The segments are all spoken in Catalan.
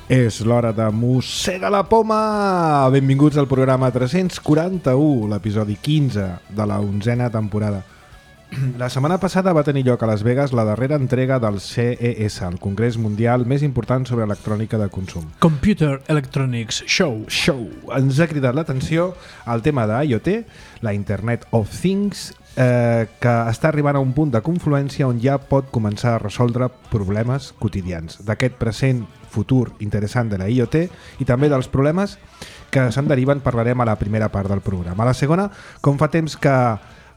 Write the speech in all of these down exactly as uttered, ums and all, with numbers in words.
És l'hora de Mossega la Poma! Benvinguts al programa tres-cents quaranta-u, l'episodi quinze de la onzena temporada. La setmana passada va tenir lloc a Las Vegas la darrera entrega del C E S, el congrés mundial més important sobre electrònica de consum. Computer Electronics Show. Show. Ens ha cridat l'atenció el tema d'IoT, la Internet of Things, eh, que està arribant a un punt de confluència on ja pot començar a resoldre problemes quotidians d'aquest present futur interessant de la IoT i també dels problemes que se'n deriven parlarem a la primera part del programa. A la segona, com fa temps que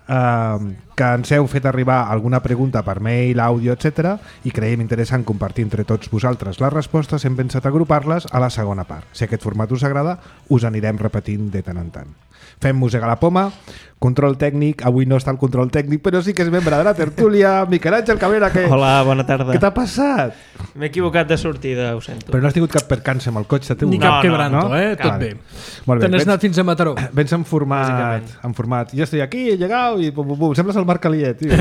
Uh, que ens heu fet arribar alguna pregunta per mail, àudio, etcètera i creiem interessant compartir entre tots vosaltres les respostes, hem pensat agrupar-les a la segona part. Si aquest format us agrada, us anirem repetint de tant en tant. Fem Mossega la Poma, control tècnic, avui no està el control tècnic, però sí que és membre de la tertúlia, Miquel Àngel Cabrera, que... Hola, bona tarda. Què t'ha passat? M'he equivocat de sortida, ho sento. Però no has tingut cap percança amb el cotxe teu? Ni No, cap no, quebranto, no? eh? Tot Vale. bé. Molt bé. Te n'has Vens- anat fins a Mataró. Vens en format, en format, jo estic aquí, he llegat i pum, pum, pum. Sembles el Marc Aliet, tio.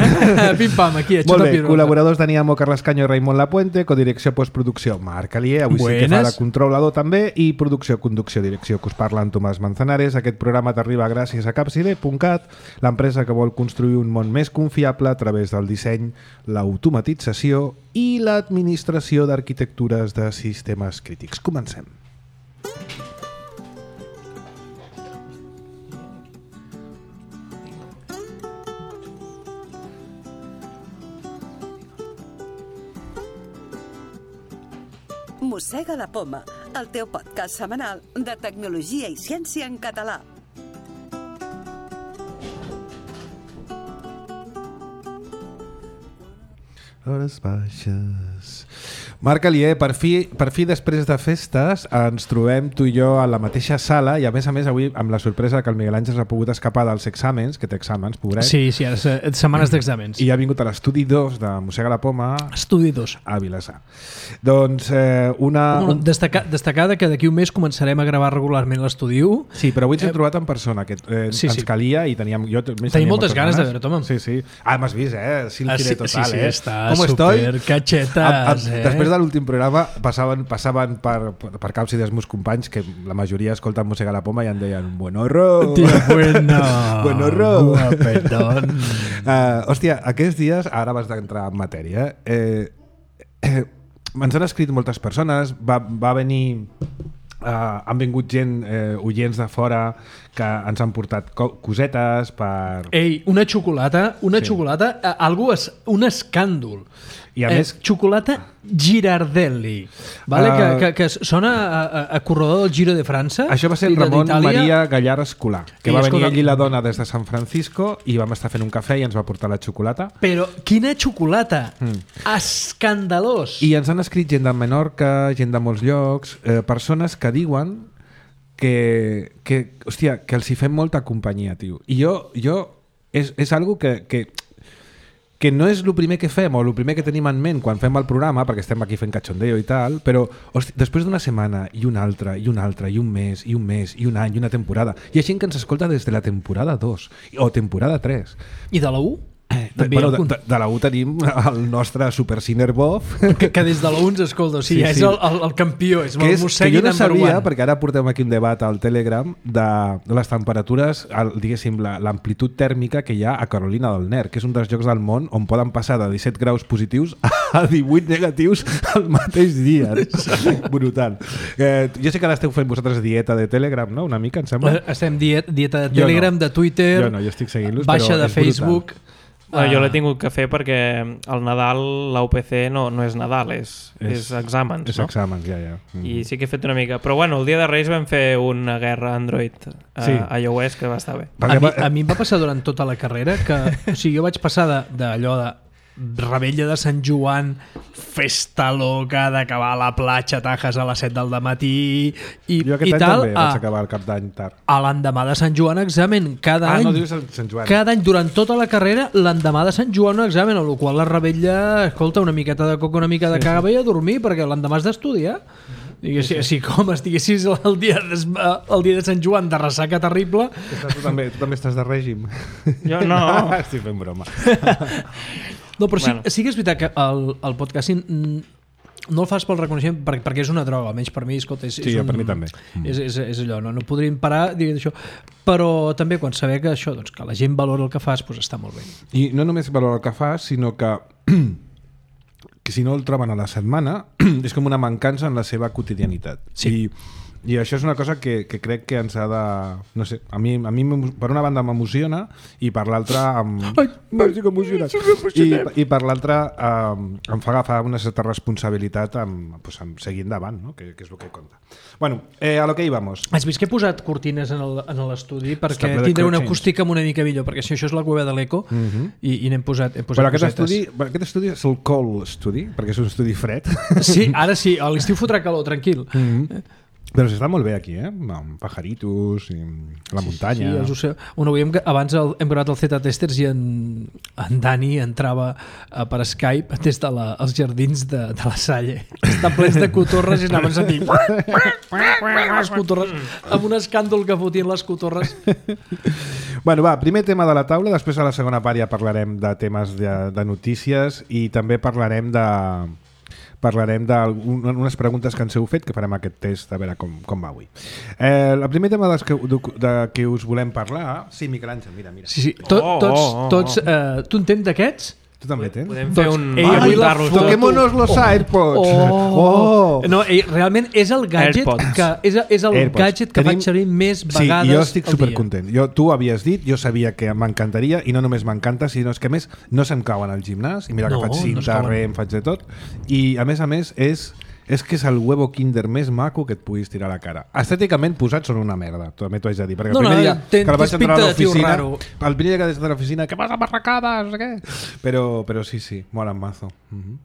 Pim-pam, aquí, Molt aixeta bé, pirota. col·laboradors Dani Amo, Carles Canyo i Raimon Lapuente, codirecció postproducció Marc Aliet, avui sí que fa Buenas. de controlador també, i producció, conducció, direcció que us parla en Tomàs Manzanares. Aquest programa t'arriba gràcies a capside punt cat, l'empresa que vol construir un món més confiable a través del disseny, l'automatització i l'administració d'arquitectures de sistemes crítics. Comencem. Mossega la Poma, el teu podcast setmanal de tecnologia i ciència en català. Hores baixes. Marc Aliet, per fi, per fi després de festes ens trobem tu i jo a la mateixa sala i a més a més avui amb la sorpresa que el Miguel Àngel s'ha pogut escapar dels exàmens, que té exàmens, pobret, Sí, sí, ara se- setmanes d'exàmens. i ha vingut a l'estudi dos de Mossega la Poma Estudi dos. a Vilassar. Doncs eh, una... Bueno, Un... destacar, destacar que d'aquí un mes començarem a gravar regularment l'estudi u. Sí, però avui ens hem trobat en persona, que eh, sí, ens sí. calia i teníem... Jo més Tenim tenia moltes ganes de ganes. veure-te, home. Sí, sí. Ah, m'has vist, eh? Silky Ah, de sí, total, sí, sí, eh? està Com estoy? supercachetas, A- a- eh? Després de l'últim programa passaven, passaven per, per, per Càpside els meus companys, que la majoria escolten Mossega la Poma i em deien buen horror. Tío, bueno. Buen horror. Guapetón. Uh, hòstia, aquests dies, ara vas d'entrar en matèria, eh, eh, ens han escrit moltes persones, va, va venir... Uh, han vingut gent, eh, oients de fora que ens han portat co cosetes per... Ei, una xocolata, una Sí. xocolata, eh, algú és un escàndol. I a eh, més- xocolata Girardelli, vale? Uh, que, que, que sona a, a, a corredor del Giro de França. Això va ser i el de- Ramon d'Itàlia. Maria Gallar Escolar, que I, va escolta, venir ell i la dona des de San Francisco i vam estar fent un cafè i ens va portar la xocolata. Però quina xocolata! Mm. Escandalós! I ens han escrit gent de Menorca, gent de molts llocs, eh, persones que diuen que, que, hòstia, que els hi fem molta companyia, tio. I jo, jo és, és algo que, que, que no és el primer que fem o el primer que tenim en ment quan fem el programa, perquè estem aquí fent cachondeo i tal, però hòstia, després d'una setmana i una altra, i una altra, i un mes, i un mes, i un any, i una temporada, hi ha gent que ens escolta des de la temporada dos o temporada tres. I de la U? De, També bueno, hi ha de, de, de la U tenim el nostre Super Ciner Bof, que, que des de la U ens escolta, o sigui, Sí, sí, sí. és el, el, el campió, és que, el és, que mossegui jo no number sabia, one. perquè ara portem aquí un debat al Telegram de, de les temperatures, el, diguéssim, la- l'amplitud tèrmica que hi ha a Carolina del Nord, que és un dels llocs del món on poden passar de disset graus positius a divuit negatius al mateix dia. Brutal. Eh, jo sé que ara esteu fent vosaltres dieta de Telegram, no? Una mica, em sembla. Estem diet, dieta de Jo no. Telegram, de Twitter, Jo no, jo estic seguint-los, baixa però de és brutal. Facebook. Bueno, jo Ah. l'he tingut que fer perquè al Nadal l'A U P C no, no és Nadal, és, és, és exàmens, És no? exàmens, ja, ja. Mm. I sí que he fet una mica. Però bueno, el dia de Reis vam fer una guerra Android a, Sí. a iOS que va estar bé. A mi, a mi em va passar durant tota la carrera que, o sigui, jo vaig passar de- d'allò de, de Rebella de Sant Joan, festa loca d'acabar a la platja Tajas a les set del matí i, Jo aquest i any tal, també a, vaig acabar el cap d'any tard. a l'endemà de Sant Joan examen cada Ah, any, no dius el Sant Joan. cada any durant tota la carrera l'endemà de Sant Joan un examen, a la qual la Rebella, escolta, una miqueta de coca, una mica de cava i a dormir, perquè l'endemà has d'estudiar. Diguessis, si com estiguessis el dia, de, el dia de Sant Joan de ressaca terrible. Tu també, tu també estàs de règim. Jo no. Estic fent broma. No, però sí, Bueno. sí que és veritat que el, el podcasting mm, no el fas pel reconeixement perquè, perquè és una droga, almenys per mi, escolta, és, Sí, és un, per mi també. Mm. És, és, és allò, no, no podríem parar dient això, però també quan saber que això, doncs, que la gent valora el que fas, doncs està molt bé. I no només valora el que fas, sinó que que si no el troben a la setmana és com una mancança en la seva quotidianitat. Sí. I, i això és una cosa que, que crec que ens ha de... No sé, a mi, a mi per una banda m'emociona i per l'altra em... Ai, m'estic emocionat. I, I per l'altra um, em fa agafar una certa responsabilitat amb, pues, amb seguir endavant, no? que, que és el que compta. Bueno, eh, a lo que íbamos. Has vist que he posat cortines en l'estudi perquè ple de tindré una cruixents. acústica una mica millor, perquè si això és la cueva de l'eco Mm -hmm. i, i n'hem posat, hem posat Però aquest cosetes. estudi, aquest estudi és el cold study, perquè és un estudi fred. Sí, ara sí, a l'estiu fotrà calor, tranquil. Mm -hmm. Però s'està molt bé aquí, eh? Amb pajaritos i la muntanya. Sí, els ho bueno, veiem que abans el, hem gravat el Z Testers i en, en Dani entrava uh, per Skype des dels de la, els jardins de, de la Salle. Estan plens de cotorres i anaven sentint les cotorres, amb un escàndol que fotien les cotorres. Bueno, va, primer tema de la taula, després a la segona part ja parlarem de temes de, de notícies i també parlarem de... parlarem d'unes preguntes que ens heu fet, que farem aquest test a veure com, com va avui. Eh, el primer tema de que, de, de que us volem parlar... Sí, Miquel Àngel, mira, mira. Sí, sí, tot, Oh, tots, oh, oh, tots, uh, tu en tens d'aquests? Tu també tens? Podem fer Doncs, un... ei, avui la apuntar-los foto- tots. Toquémonos los Oh. AirPods! Oh. Oh. No, eh, realment és el gadget AirPods. que és, és el AirPods. gadget que Tenim- faig servir més Sí, vegades jo estic al supercontent. Jo, tu havies dit, jo sabia que m'encantaria i no només m'encanta, sinó és que a més no se'm cauen al gimnàs i mira No, que faig no es cinta, cauen. re, em faig de tot i a més a més és és que és el huevo Kinder més maco que et puguis tirar a la cara. Estèticament posats són una merda, també t'ho haig de dir, perquè No, el no, primer dia ten- que el vaig tens entrar a pinta de tio l'oficina, raro. el primer dia que des de l'oficina, que passa barracades, què? Però, però sí, sí, molen mazo. Uh -huh.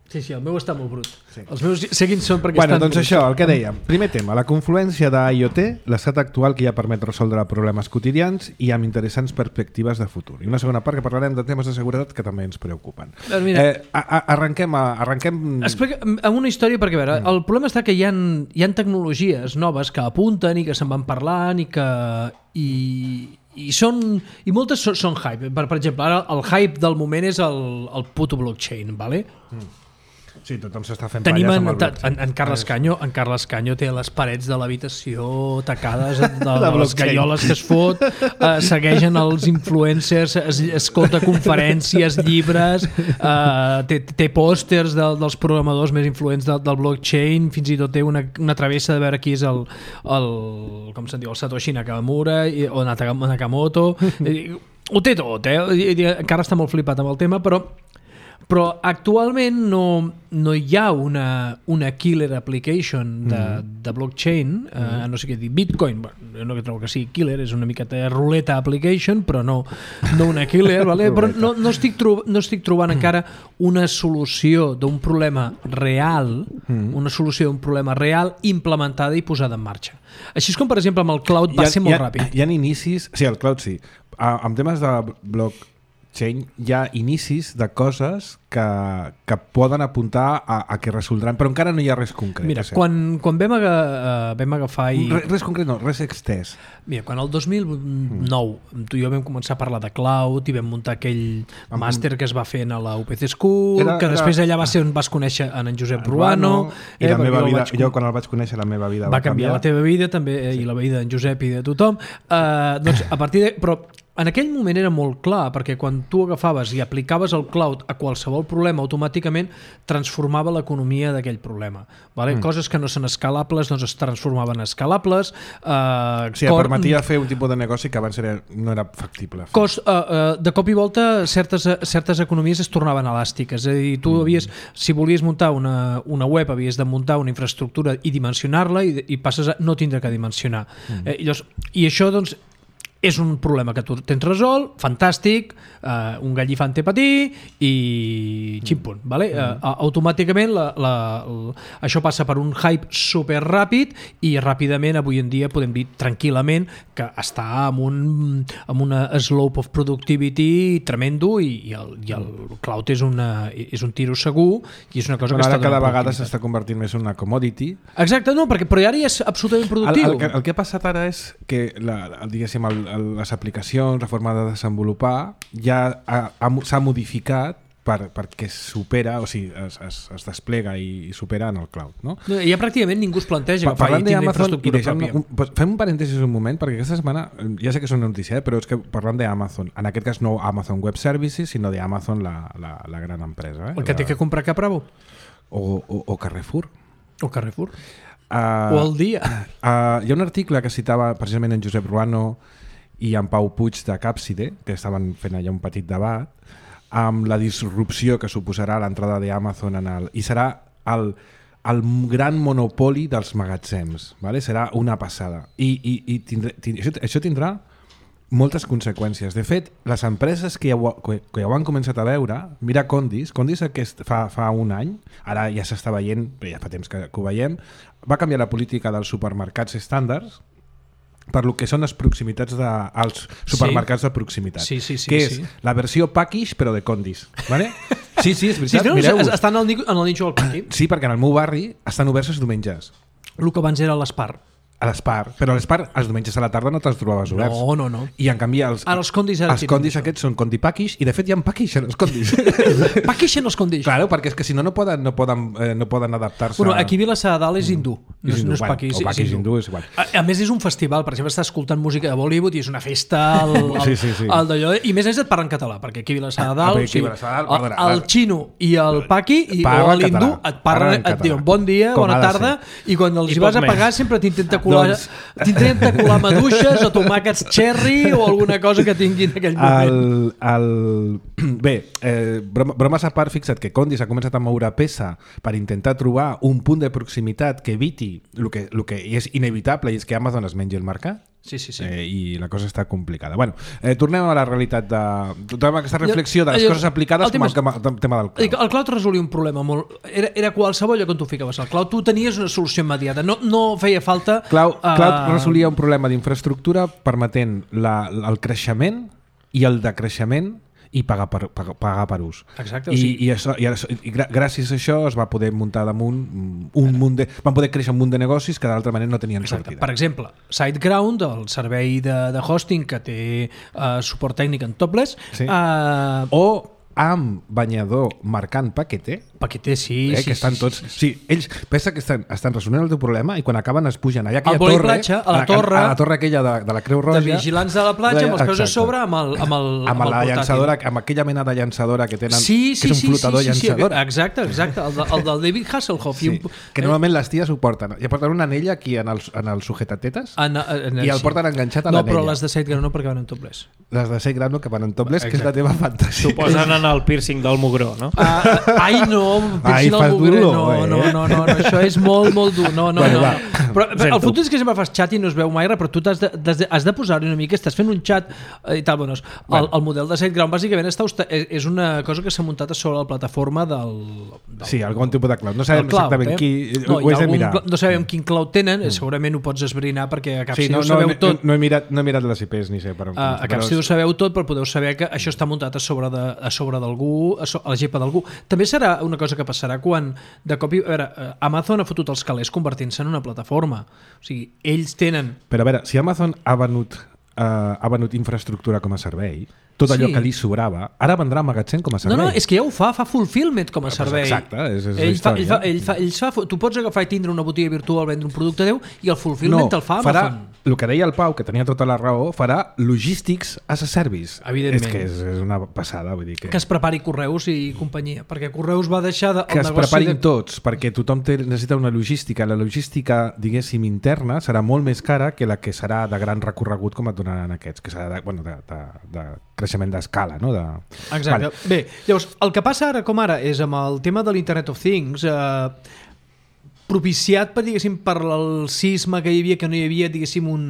Sí, sí, el meu està molt brut. Sí. Els meus seguint són perquè Bueno, estan doncs bruts. això, el que dèiem. Primer tema, la confluència d'IoT, l'estat actual que ja permet resoldre problemes quotidians i amb interessants perspectives de futur. I una segona part que parlarem de temes de seguretat que també ens preocupen. Doncs mira. Eh, a, a, arrenquem, a, arrenquem... Explica amb una història perquè, a veure, el problema està que hi ha, hi ha tecnologies noves que apunten i que se'n van parlant i que... I, i són i moltes són, són hype. Per, per exemple, ara el hype del moment és el, el puto blockchain, ¿vale? Sí, tothom s'està fent Tenim palles en, amb el en, blockchain. en, Carles Canyo, en Carles Canyo té les parets de l'habitació tacades de, de, de les blockchain. galloles que es fot, eh, segueixen els influencers, es, escolta conferències, llibres, eh, té, té pòsters de, dels programadors més influents del, del blockchain, fins i tot té una, una travessa de veure qui és el, el com se'n diu, el Satoshi Nakamura i, o Nakamoto. I, ho té tot, eh? I, i, encara està molt flipat amb el tema, però però actualment no, no hi ha una, una killer application de, mm. de blockchain, mm. eh, no sé què dir, Bitcoin, bueno, no que trobo que sigui killer, és una miqueta de ruleta application, però no, no una killer, vale? Però no, no, estic trob, no estic trobant encara una solució d'un problema real, mm. una solució d'un problema real implementada i posada en marxa. Així és com, per exemple, amb el cloud va ha, ser molt ha, ràpid. Hi ha inicis... Sí, el cloud sí. A, amb temes de blockchain hi ha inicis de coses que, que poden apuntar a, a que resoldran, però encara no hi ha res concret. Mira, quan, quan vam, aga, uh, vam agafar i... Res, res concret no, res extès. Mira, quan el dos mil nou mm. tu i jo vam començar a parlar de cloud i vam muntar aquell Amb... màster que es va fer a la U P C School, era, que després era... allà va ser on vas conèixer en, en Josep Ruano. I eh, la meva vida, vaig... jo quan el vaig conèixer la meva vida va, va canviar, canviar la teva vida també, sí. I la vida d'en Josep i de tothom. Uh, doncs a partir de... Però en aquell moment era molt clar, perquè quan tu agafaves i aplicaves el cloud a qualsevol problema, automàticament transformava l'economia d'aquell problema. Vale? Mm. Coses que no són escalables doncs es transformaven en escalables. Uh, sí, cor... permetia fer un tipus de negoci que abans era, no era factible. Cos, uh, uh, de cop i volta certes, certes economies es tornaven elàstiques. És a dir, tu havies, si volies muntar una, una web, havies de muntar una infraestructura i dimensionar-la i, i passes a no tindre que dimensionar. Mm. Eh, llavors, i això, doncs, és un problema que tu tens resolt, fantàstic, uh, un gallifant té patí i ximpun, vale? Uh, automàticament la, la, la, això passa per un hype super ràpid i ràpidament avui en dia podem dir tranquil·lament que està amb, un, amb una slope of productivity tremendo i, i, el, i el cloud és, una, és un tiro segur i és una cosa bueno, que ara està cada vegada s'està convertint més en una commodity. Exacte, no, perquè però ara ja és absolutament productiu. El, el, que, el que ha passat ara és que la, el, diguéssim, el, les aplicacions, la forma de desenvolupar ja s'ha modificat per, perquè supera, o sigui, es, es, es desplega i, i supera en el cloud. No? No, ja pràcticament ningú es planteja Pa, que faci tindre Amazon, infraestructura pròpia. Un, fem un parèntesis un moment, perquè aquesta setmana, ja sé que és una notícia, eh, però és que parlant d'Amazon, en aquest cas no Amazon Web Services, sinó d'Amazon, la, la, la gran empresa. Eh? El que té que comprar Capravo. O, o, o Carrefour. O Carrefour. Uh, o el dia. Uh, hi ha un article que citava precisament en Josep Ruano i en Pau Puig de Capside, que estaven fent allà un petit debat, amb la disrupció que suposarà l'entrada d'Amazon en el... I serà el, el gran monopoli dels magatzems, ¿vale? Serà una passada. I, i, i tindrà, tindrà, això, això tindrà moltes conseqüències. De fet, les empreses que ja ho, que, que ja ho han començat a veure, mira Condis, Condis aquest, fa, fa un any, ara ja s'està veient, ja fa temps que, que ho veiem, va canviar la política dels supermercats estàndards per lo que són les proximitats de, els supermercats sí. de proximitat, sí, sí, sí, que és sí. la versió package però de Condis, ¿vale? Sí, sí, és veritat, sí, no, mireu. Estan al, en el nínxol del pati. Sí, perquè en el meu barri estan oberts els diumenges. El que abans era l'Espar. A l'Espar, però a l'Espar els diumenges a la tarda no te'ls trobaves oberts. No, no, no. I en canvi els, ara els condis, ara els condis aquests són condi package i de fet hi ha package en els condis. Package en els condis. Claro, perquè és que si no no poden, no poden, eh, no poden adaptar-se. Bueno, aquí a Vilassar de Dalt és hindú. No és, no és bueno, package, o package és hindú. hindú és igual. A, a més és un festival, per exemple, estàs escoltant música de Bollywood i és una festa al, al, sí, sí, sí. al d'allò, i més és et parlen català, perquè aquí a Vilassar de Dalt, Ah, o sigui, Vilassar de Dalt, el, perdona, el xino i el paqui i, parlen o l'hindú català, et parlen, parlen et diuen català. bon dia, Com bona ha de tarda, ser. i quan els I hi vas poc a pagar més. sempre t'intenta colar, Doncs- t'intenta colar maduixes o tomàquets cherry o alguna cosa que tinguin en aquell moment. El, el... Bé, eh, broma, bromes a part, fixa't que Condis ha començat a moure peça per intentar trobar un punt de proximitat que eviti el que, el que és inevitable, i és que Amazon es mengi el mercat. Sí, sí, sí. Eh, i la cosa està complicada. Bueno, eh, tornem a la realitat de... Tornem a aquesta reflexió de les Jo- coses aplicades el com tema el tema, tema del Dic, cloud. el cloud resolia un problema molt... Era, era qualsevol lloc on tu ficaves el cloud. Tu tenies una solució immediata. No, no feia falta... Cloud, eh, cloud resolia un problema d'infraestructura permetent la, el creixement i el decreixement i pagar per, pagar, pagar per ús. Exacte, I, o sigui- i, això, i, ara, i gra- gràcies a això es va poder muntar damunt un munt de, van poder créixer un munt de negocis que d'altra manera no tenien Exacte. sortida. Per exemple, SiteGround, el servei de, de hosting que té uh, suport tècnic en topless, Sí. uh, O amb banyador marcant paquete, paqueter, sí, eh, sí, que estan sí, tots... sí, sí. Sí, ells pensa que estan, estan resolent el teu problema i quan acaben es pugen allà aquella Al vòlei torre, platja, a la torre- a la torre aquella de, de la Creu Roja, De vigilants de la platja, amb els peus a Exacte. sobre, amb el, amb el, amb, el la portàtil. llançadora, amb aquella mena de llançadora que tenen, Sí, sí, que és un sí, flotador sí, sí, sí, llançadora. exacte, exacte, el, de, el del David Hasselhoff. Sí, I un, que normalment les ties ho porten. I porten una anella aquí en el, en el sujetatetes en, en, i el porten enganxat a no, l'anella. però les de SiteGround no, perquè van en topless. Les de SiteGround que van en topless, que és la teva fantasia. T'ho posen en el piercing del mugró, no? Uh, ai, no, Ai, piercing al fas mugró, dur-lo, no, eh? no, no, no, no, això és molt, molt dur. No, no, Bueno, no, va. no. Però, però el fotut és que sempre fas xat i no es veu mai res, però tu has de, has de, has de posar-hi una mica, estàs fent un xat eh, i tal. Bueno, el, Bueno. el model de SiteGround bàsicament està, hosta- és és una cosa que s'ha muntat a sobre la plataforma del... del Sí, algun tipus de cloud. No sabem del cloud, exactament eh? qui... No, ho hi ha has de algun mirar. cl- no sabem quin cloud tenen, mm. segurament ho pots esbrinar perquè a cap Sí, si no, ho no, sabeu no, tot. no, he mirat, no he mirat les I Ps ni sé per on. Uh, a cap però- si ho sabeu tot, però podeu saber que això està muntat a sobre de, a sobre d'algú, a, so, a la gepa d'algú. També serà una cosa que passarà quan de cop i... A veure, eh, Amazon ha fotut els calés convertint-se en una plataforma. O sigui, ells tenen... Però a veure, si Amazon ha venut, uh, ha venut infraestructura com a servei, tot allò Sí. que li sobrava, ara vendrà magatzem com a No, servei. no, és que ja ho fa, fa fulfillment com a pues servei. exacte, és- és la ell fa, ell història. fa, ell fa, ell fa, tu pots agafar i tindre una botiga virtual, vendre un producte teu i el fulfillment te'l fa farà, Amazon. el que deia el Pau, que tenia tota la raó, farà logistics as a service. Evidentment. És que és, és una passada, vull dir que... Que es prepari Correus i companyia, perquè Correus va deixar de, que el es negoci preparin de... tots, perquè tothom té, necessita una logística. La logística, diguéssim, interna serà molt més cara que la que serà de gran recorregut com et donaran aquests, que serà de, bueno, de, de, de creixement d'escala, no? De... Exacte. Vale. Bé, llavors, el que passa ara com ara és amb el tema de l'Internet of Things, eh, propiciat per, diguéssim, per el sisme que hi havia, que no hi havia, diguéssim, un,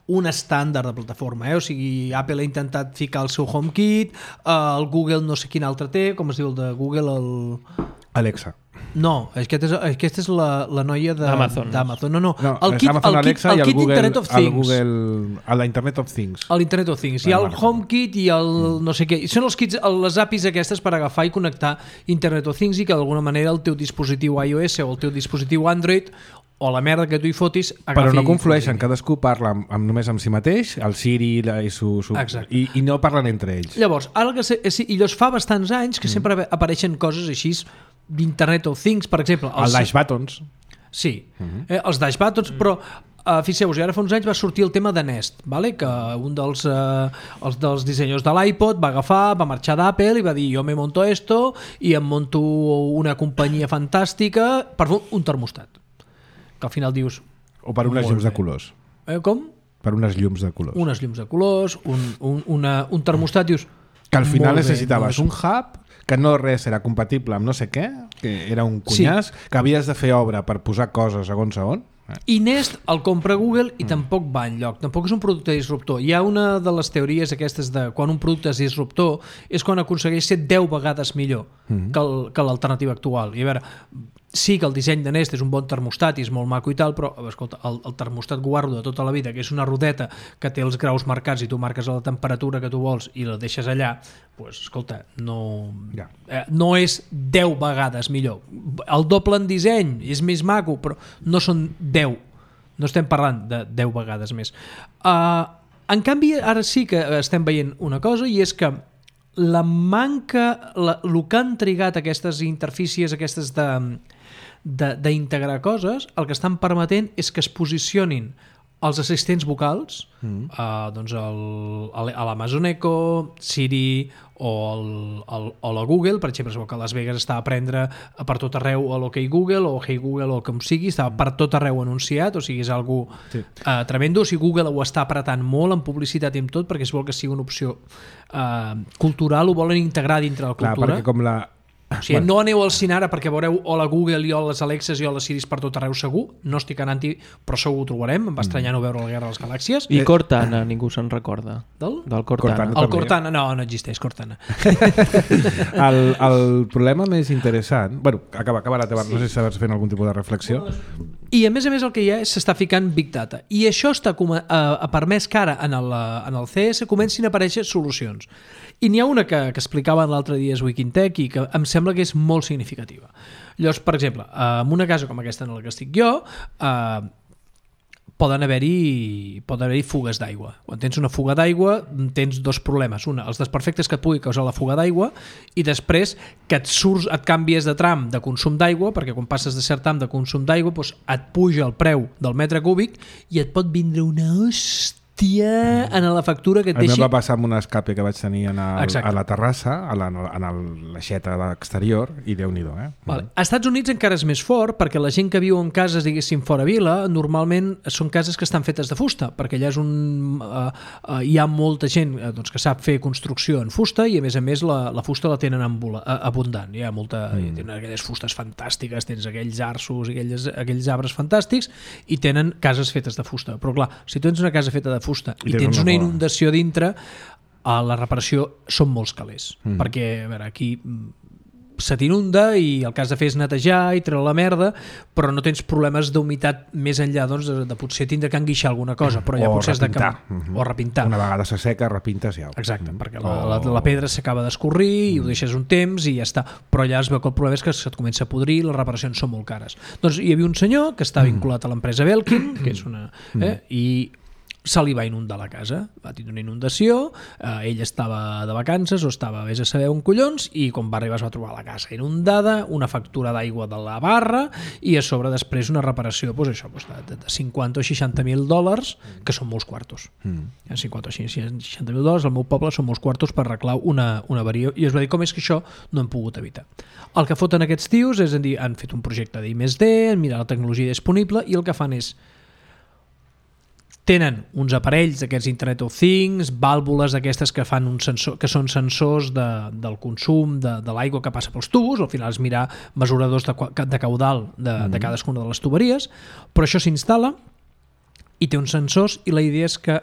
un estàndard de plataforma. Eh? O sigui, Apple ha intentat ficar el seu HomeKit, eh, el Google no sé quin altre té, com es diu el de Google, el... Alexa. No, aquesta és, aquesta és la, la noia d'Amazon. d'Amazon. No, no, No, el kit, Amazon el kit, Alexa el i el kit Google, Internet of el Things. Google, a la Internet of Things. A l'Internet of Things. Hi ha el HomeKit i el no sé què. I són els kits, les A P Is aquestes per agafar i connectar Internet of Things i que d'alguna manera el teu dispositiu iOS o el teu dispositiu Android o la merda que tu hi fotis agafi... Però no conflueixen, cadascú parla amb, amb, només amb si mateix, el Siri la, i, su, su, i, i no parlen entre ells. Llavors, ara que se, sí, i llavors fa bastants anys que mm. sempre apareixen coses així d'Internet of Things, per exemple... Els, el Dash Buttons. Sí, mm-hmm. eh, els Dash Buttons, mm. però uh, fixeu-vos, ara fa uns anys va sortir el tema de Nest, vale? Que un dels, uh, els dels dissenyadors de l'iPod va agafar, va marxar d'Apple i va dir jo me monto esto i em monto una companyia fantàstica per fer un termostat. Que al final dius... O per unes llums bé. de colors. Eh, com? Per unes llums de colors. Unes llums de colors, un, un, una, un termostat, dius... Que al final necessitaves no és... un hub, que no res era compatible amb no sé què, que era un cunyàs, sí. que havies de fer obra per posar coses segons a on. I Nest el compra Google i mm. tampoc va enlloc, tampoc és un producte disruptor. Hi ha una de les teories aquestes de quan un producte és disruptor és quan aconsegueix ser deu vegades millor mm. que, el, que l'alternativa actual. I a veure, sí que el disseny de Nest és un bon termostat i és molt maco i tal, però escolta, el, el termostat guardo de tota la vida, que és una rodeta que té els graus marcats i tu marques la temperatura que tu vols i la deixes allà, pues, escolta, no, ja. eh, no és deu vegades millor. El doble en disseny és més maco, però no són deu. No estem parlant de deu vegades més. Uh, en canvi, ara sí que estem veient una cosa i és que la manca, la, el que han trigat aquestes interfícies, aquestes de d'integrar coses, el que estan permetent és que es posicionin els assistents vocals, mm. uh, doncs el, el, l'Amazon Echo, Siri o, el, el, o la Google, per exemple, que a Las Vegas està a prendre per tot arreu a l'OK Google o Hey Google o com sigui, està per tot arreu anunciat, o sigui, és algú sí. uh, tremendo. O sigui, Google ho està apretant molt en publicitat i en tot perquè es vol que sigui una opció uh, cultural, ho volen integrar dintre la cultura. Clar, perquè com la... O sigui, bueno. No aneu al cine ara perquè veureu o la Google i o les Alexes i o les Siris per tot arreu segur, no estic anant-hi, però segur ho trobarem, em va estranyar no veure la Guerra de les Galàxies. I Cortana, ningú se'n recorda. Del? Del Cortana. Cortana el Cortana, no, no existeix Cortana. el, el problema més interessant... Bueno, acaba, acaba la teva, sí. No sé si estàs fent algun tipus de reflexió. I a més a més el que hi ha és s'està ficant Big Data. I això està com a, a permès que ara en el, en el C S comencin a aparèixer solucions. I n'hi ha una que, que explicaven l'altre dia a Wikintech i que em sembla que és molt significativa. Llavors, per exemple, en una casa com aquesta en la que estic jo, eh, poden haver-hi poden haver-hi fugues d'aigua. Quan tens una fuga d'aigua tens dos problemes. Una, els desperfectes que et pugui causar la fuga d'aigua i després que et surts, et canvies de tram de consum d'aigua, perquè quan passes de cert tram de consum d'aigua doncs et puja el preu del metre cúbic i et pot vindre una hòstia en la factura que et deixi... A mi va passar amb un escape que vaig tenir en el, a la terrassa, a la, en el, l'aixeta exterior, i Déu-n'hi-do. Eh? Vale. A Estats Units encara és més fort, perquè la gent que viu en cases, diguéssim, fora vila, normalment són cases que estan fetes de fusta, perquè allà és un... Uh, uh, hi ha molta gent uh, doncs, que sap fer construcció en fusta i, a més a més, la, la fusta la tenen ambula, uh, abundant. Hi ha molta... Mm. Tenen aquelles fustes fantàstiques, tens aquells arços, aquells, aquells arbres fantàstics, i tenen cases fetes de fusta. Però, clar, si tu tens una casa feta de fusta i, i tens una inundació dintre, a la reparació són molts calés, mm. perquè a veure, aquí se t'inunda i el que has de fer és netejar i treure la merda, però no tens problemes d'humitat més enllà doncs, de, de potser tindre que enguixar alguna cosa, però ja o potser has de repintar. Mm-hmm. O repintar. Una vegada se seca, repintes ja. Exacte, mm-hmm. perquè la, la, la pedra s'acaba d'escorrir i mm. ho deixes un temps i ja està, però allà es veu que el problema és que se't comença a podrir i les reparacions són molt cares. Doncs hi havia un senyor que està vinculat a l'empresa Belkin, que és una... Eh, i se li va inundar la casa, va tenir una inundació, eh, ell estava de vacances o estava vés a saber on collons i quan va arribar es va trobar la casa inundada, una factura d'aigua de la barra i a sobre després una reparació doncs això, doncs de, de cinquanta o seixanta mil dòlars, que són molts quartos. Mm. cinquanta o seixanta mil dòlars al meu poble són molts quartos per arreglar una, una avaria i es va dir com és que això no hem pogut evitar. El que foten aquests tios és a dir, han fet un projecte d'I més D, han mirat la tecnologia disponible i el que fan és tenen uns aparells d'aquests Internet of Things, vàlvules d'aquestes que fan un sensor, que són sensors de, del consum de, de l'aigua que passa pels tubos, al final és mirar mesuradors de, de caudal de, mm. de cadascuna de les tuberies, però això s'instal·la i té uns sensors i la idea és que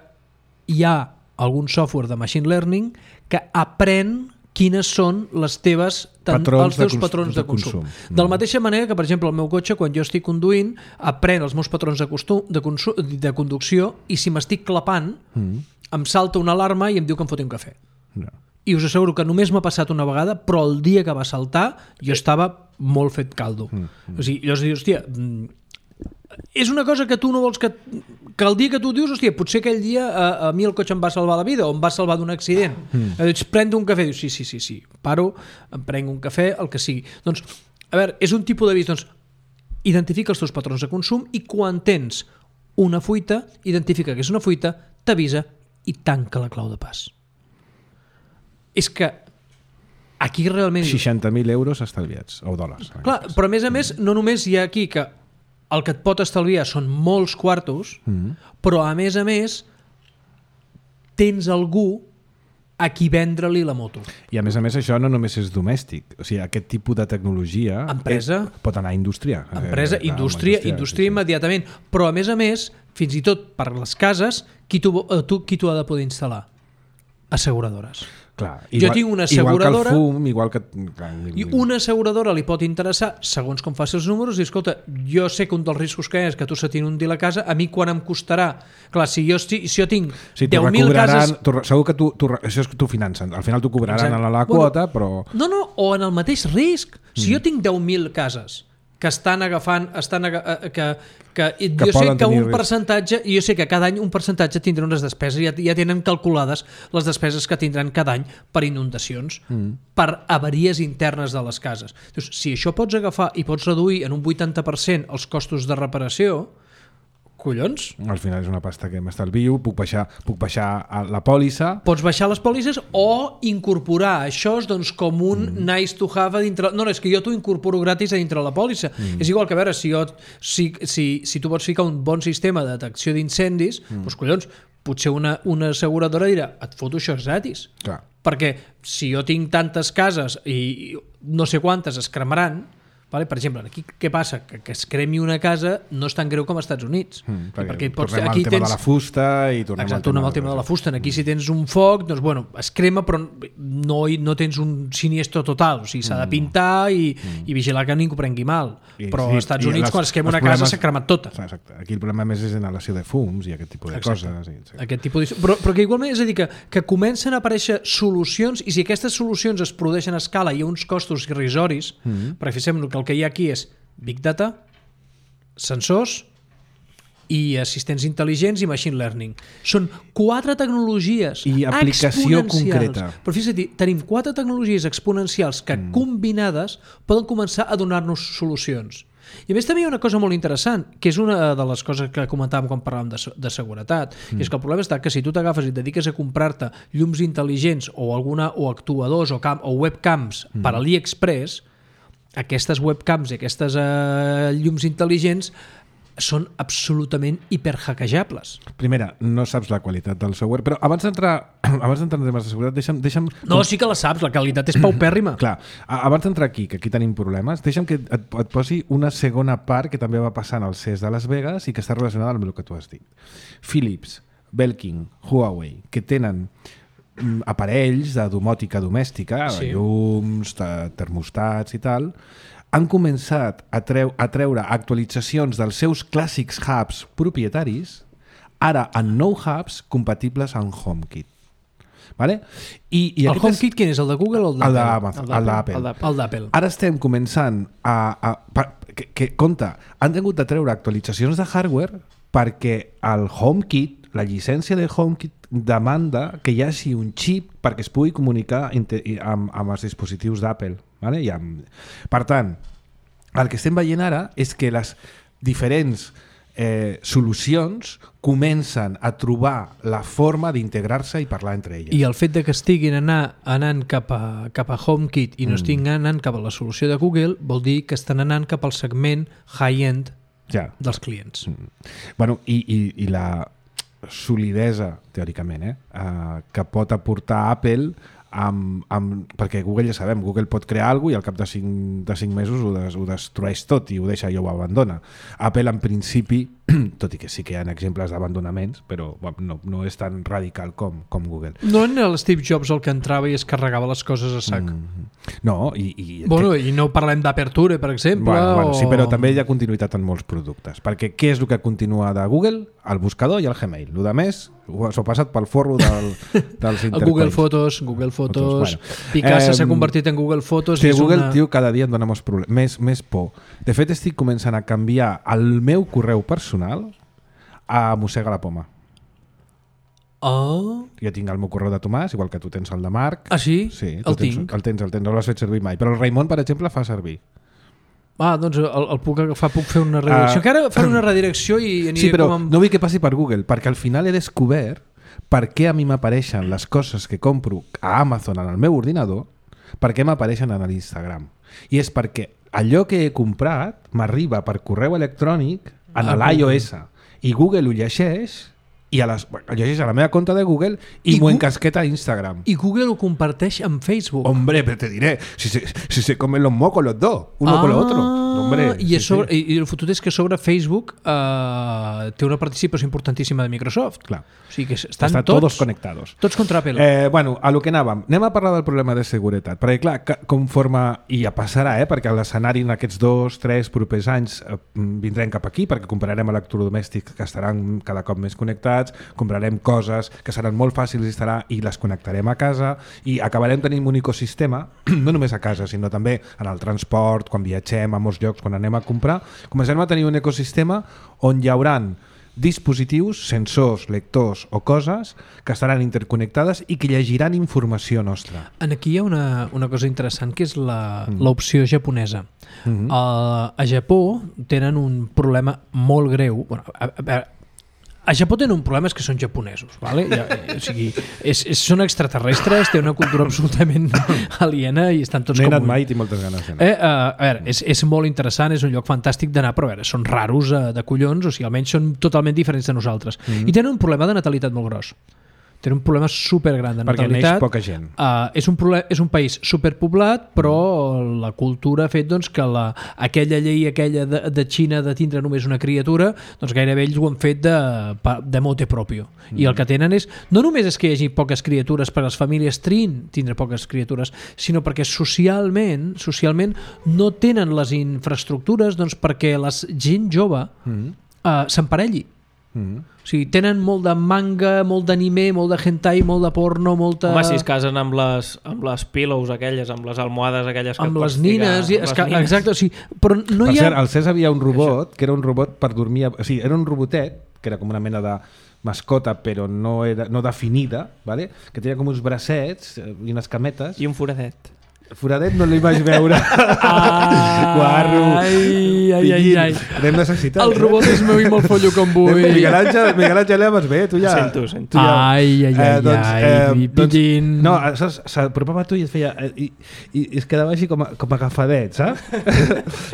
hi ha algun software de machine learning que aprèn quines són les teves tant, Patrons els teus de cons- patrons de de consum. consum. De la mateixa manera que, per exemple, el meu cotxe, quan jo estic conduint, aprèn els meus patrons de, costum, de, consum, de conducció i si m'estic clapant, mm. em salta una alarma i em diu que em foti un cafè. No. I us asseguro que només m'ha passat una vegada, però el dia que va saltar jo estava molt fet caldo. Mm. Mm. O sigui, llavors dius, hòstia, és una cosa que tu no vols que... que el dia que tu dius, hòstia, potser aquell dia a, a mi el cotxe em va salvar la vida o em va salvar d'un accident. Mm. Dius, pren un cafè. Dius, sí, sí, sí, sí. Paro, em prenc un cafè, el que sigui. Doncs, a veure, és un tipus d'avís. Doncs, identifica els teus patrons de consum i quan tens una fuita, identifica que és una fuita, t'avisa i tanca la clau de pas. És que aquí realment... seixanta mil euros estalviats, o dòlars. Clar, però a més a més, no només hi ha aquí que el que et pot estalviar són molts quartos, mm. però a més a més tens algú a qui vendre-li la moto. I a més a més això no només és domèstic, o sigui, aquest tipus de tecnologia empresa, és, pot anar a indústria. Empresa, eh, indústria, indústria, indústria sí, immediatament. Sí. Però a més a més, fins i tot per les cases, qui t'ho qui t'ho ha de poder instal·lar? Asseguradores. Clar, igual, jo tinc una asseguradora... Igual que el fum, igual que... Clar, I una asseguradora li pot interessar, segons com faci els números, i escolta, jo sé que un dels riscos que és que tu se t'inundir la casa, a mi quan em costarà? Clar, si jo, si jo tinc sí, deu mil cases... Tu, segur que tu, tu, això és que tu financen. Al final t'ho cobraran Exacte. a la quota, bueno, però... No, no, o en el mateix risc. Si mm. jo tinc deu mil cases que estan agafant, estan aga, que, que, que jo sé que un percentatge, jo sé que cada any un percentatge tindrà unes despeses, ja, ja tenen calculades les despeses que tindran cada any per inundacions, mm. per avaries internes de les cases. Dius, si això pots agafar i pots reduir en un vuitanta per cent els costos de reparació, collons. Al final és una pasta que m'estalvio, puc baixar, puc baixar la pòlissa. Pots baixar les pòlisses o incorporar això doncs, com un mm. nice to have a dintre... No, no, és que jo t'ho incorporo gratis a dintre la pòlissa. Mm. És igual que, a veure, si, jo, si, si, si tu pots ficar un bon sistema de detecció d'incendis, mm. doncs, collons, potser una, una asseguradora dirà, et foto això gratis. Clar. Perquè si jo tinc tantes cases i no sé quantes es cremaran, vale? Per exemple, aquí què passa? Que, que es cremi una casa no és tan greu com als Estats Units. Mm, perquè perquè pots, tornem aquí al tema tens... de la fusta i tornem Exacte, al tema, al tema de la fusta. Aquí si tens un foc, doncs bueno, es crema però no, no tens un siniestro total, o sigui, s'ha de pintar i, mm. i vigilar que ningú prengui mal. I, però sí, als Estats Units les, quan es crema una problemes... casa s'ha cremat tota. Exacte. Aquí el problema més és inhalació de fums i aquest tipus de exacte. coses. I, sí. Aquest tipus de... però, però que igualment és a dir que, que comencen a aparèixer solucions i si aquestes solucions es produeixen a escala i a uns costos irrisoris, mm. perquè fixem que el que hi ha aquí és Big Data, sensors i assistents intel·ligents i machine learning. Són quatre tecnologies i aplicació concreta. Però fixa't, tenim quatre tecnologies exponencials que mm. combinades poden començar a donar-nos solucions. I a més també hi ha una cosa molt interessant, que és una de les coses que comentàvem quan parlàvem de, de seguretat, mm. és que el problema està que si tu t'agafes i et dediques a comprar-te llums intel·ligents o alguna o actuadors o, cam, o webcams mm. per AliExpress, aquestes webcams i aquestes eh, llums intel·ligents són absolutament hiperhackejables. Primera, no saps la qualitat del software, però abans d'entrar abans d'entrar en temes de seguretat, deixa'm... deixa'm no, sí que la saps, la qualitat és paupèrrima. Clar, abans d'entrar aquí, que aquí tenim problemes, deixa'm que et, et posi una segona part que també va passar en el C E S de Las Vegas i que està relacionada amb el que tu has dit. Philips, Belkin, Huawei, que tenen aparells de domòtica domèstica, sí. llums, termostats i tal, han començat a, treu, a treure actualitzacions dels seus clàssics hubs propietaris, ara en nou hubs compatibles amb HomeKit. Vale? I, i el HomeKit quin és? El de Google o el d'Apple? El d'Apple. El d'Apple. Ara estem començant a... a que, que, compte, han tingut de treure actualitzacions de hardware perquè el HomeKit, la llicència de HomeKit demanda que hi hagi un xip perquè es pugui comunicar amb, amb els dispositius d'Apple. Vale? I amb... Per tant, el que estem veient ara és que les diferents eh, solucions comencen a trobar la forma d'integrar-se i parlar entre elles. I el fet de que estiguin anar, anant cap a, cap a HomeKit i no mm. estiguin anant cap a la solució de Google vol dir que estan anant cap al segment high-end ja. dels clients. Mm. Bueno, i, i, i la solidesa, teòricament, eh, eh, que pot aportar Apple amb, amb, perquè Google ja sabem, Google pot crear alguna cosa i al cap de cinc, de cinc mesos ho, des, ho destrueix tot i ho deixa i ho abandona. Apple en principi, tot i que sí que hi ha exemples d'abandonaments, però bueno, no, no és tan radical com, com Google. No en el Steve Jobs el que entrava i es carregava les coses a sac. Mm. No, i... i bueno, que... i no parlem d'Aperture, per exemple. Bueno, bueno, o... sí, però també hi ha continuïtat en molts productes, perquè què és el que continua de Google? El buscador i el Gmail. El de més s'ho ha passat pel forro del, dels intercoins. Google Fotos, Google Fotos, Fotos bueno. Picasa eh, s'ha convertit en Google Fotos. Sí, és Google, una... tio, cada dia em dona més, més, més por. De fet, estic començant a canviar el meu correu personal a mossega la poma. Oh. Jo tinc el meu correu de Tomàs, igual que tu tens el de Marc. Ah, sí? Sí, el tens, tinc. El tens, el tens, no l'has fet servir mai. Però el Raimon, per exemple, fa servir. Ah, doncs el, el puc agafar, puc fer una redirecció. Uh, que ara faré una redirecció i aniré sí, però com amb... no vull que passi per Google, perquè al final he descobert per què a mi m'apareixen les coses que compro a Amazon en el meu ordinador, per què m'apareixen en l'Instagram. I és perquè allò que he comprat m'arriba per correu electrònic en ah, l'iOS i Google ho llegeix i a les, ho llegeix a la meva compte de Google i, I m'ho encasqueta a Instagram. I Google ho comparteix amb Facebook. Hombre, pero te diré, si se, si se comen los mocos los dos, uno ah, con lo otro. Hombre, i, sí, sobre, sí. I el fotut és que sobre Facebook eh, té una participació importantíssima de Microsoft. Clar. O sigui que estan Estan tots, todos conectados. Tots contra Apple. Eh, bueno, a lo que anàvem. Anem a parlar del problema de seguretat. Perquè, clar, conforme... I ja passarà, eh? Perquè l'escenari en aquests dos, tres propers anys eh, vindrem cap aquí, perquè comprarem electrodomèstics que estaran cada cop més connectats, comprarem coses que seran molt fàcils d'instal·lar i les connectarem a casa i acabarem tenint un ecosistema, no només a casa, sinó també en el transport, quan viatgem a molts llocs, quan anem a comprar, començarem a tenir un ecosistema on hi hauran dispositius, sensors, lectors o coses que estaran interconnectades i que llegiran informació nostra. Aquí hi ha una, una cosa interessant que és l'opció mm. japonesa. Mm -hmm. uh, a Japó tenen un problema molt greu. Bueno, a, a, a, A Japó tenen un problema, és que són japonesos, vale? Ja, o sigui, és, és, són extraterrestres, tenen una cultura absolutament aliena i estan tots no com... No he anat mai i tinc moltes ganes d'anar. Eh, uh, a veure, és, és molt interessant, és un lloc fantàstic d'anar, però a veure, són raros uh, de collons, o sigui, almenys són totalment diferents de nosaltres. Mm-hmm. I tenen un problema de natalitat molt gros. Tenen un problema supergran de natalitat. Perquè neix poca gent. Uh, és, un problem, és un país superpoblat, però la cultura ha fet doncs, que la, aquella llei aquella de, de Xina de tindre només una criatura, doncs gairebé ells ho han fet de, de mote propio. Mm. I el que tenen és, no només és que hi hagi poques criatures per a les famílies trin tindre poques criatures, sinó perquè socialment socialment no tenen les infraestructures doncs, perquè la gent jove mm. uh, s'emparelli. Mm. O sigui, tenen molt de manga, molt d'anime, molt de hentai, molt de porno, molta... Home, si es casen amb les, amb les pillows aquelles, amb les almohades aquelles que amb et les pots nines, ficar, i, les que, nines. exacte, o sigui, però no per hi ha... cert, al C E S havia un robot, que era un robot per dormir, o sigui, era un robotet, que era com una mena de mascota, però no, era, no definida, ¿vale? Que tenia com uns bracets i unes cametes. I un foradet. Foradet no l'hi vaig veure. Ai, Guarro. ai, ai, ai, ai. L'hem necessitat. El robot és meu i molt follo com vull. Miguel Àngel, Miguel Àngel, ja vas bé, tu ja... Sento, sento. Tu ja... Ai, ai, ai, eh, doncs, ai, eh, doncs, pillin. No, s'apropava a tu i es feia... I, i, i es quedava així com, a, com agafadet, saps?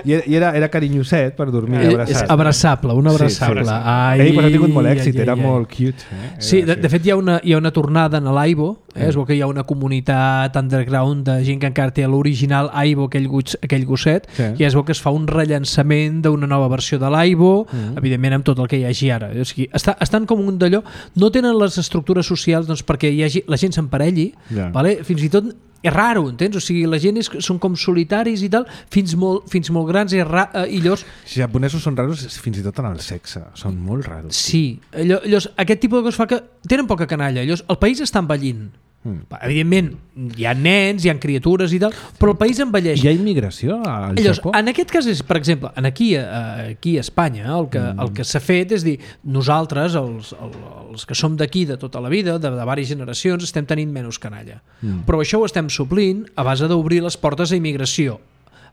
I, i era, era carinyoset per dormir Eh, abraçat. és abraçable, un abraçable. Sí, sí. Ai, Ell pues, ha tingut molt èxit, ai, era ai, molt cute. Eh? Sí, de, era, de fet hi ha una, hi ha una tornada en l'Aibo, eh? Es veu que hi ha una comunitat underground de gent que encara té l'original Aibo, aquell, gos, aquell gosset, sí. I es veu que es fa un rellançament d'una nova versió de l'Aibo, mm. evidentment amb tot el que hi hagi ara. O sigui, està, estan com un d'allò, no tenen les estructures socials doncs, perquè hi hagi, la gent s'emparelli, yeah. Vale? Fins i tot és raro, entens? O sigui, la gent és, són com solitaris i tal, fins molt, fins molt grans i, ra, eh, i llavors... Si japonesos són raros fins i tot en el sexe, són molt raros. Sí, llavors, aquest tipus de coses fa que tenen poca canalla, llavors el país està envellint. Mm. Evidentment, hi ha nens, hi ha criatures i tal, però el país envelleix. Hi ha immigració al Llavors, Japó? en aquest cas, és, per exemple, en aquí, aquí a Espanya, el que, mm. el que s'ha fet és dir, nosaltres, els, els que som d'aquí de tota la vida, de, de diverses generacions, estem tenint menys canalla. Mm. Però això ho estem suplint a base d'obrir les portes a immigració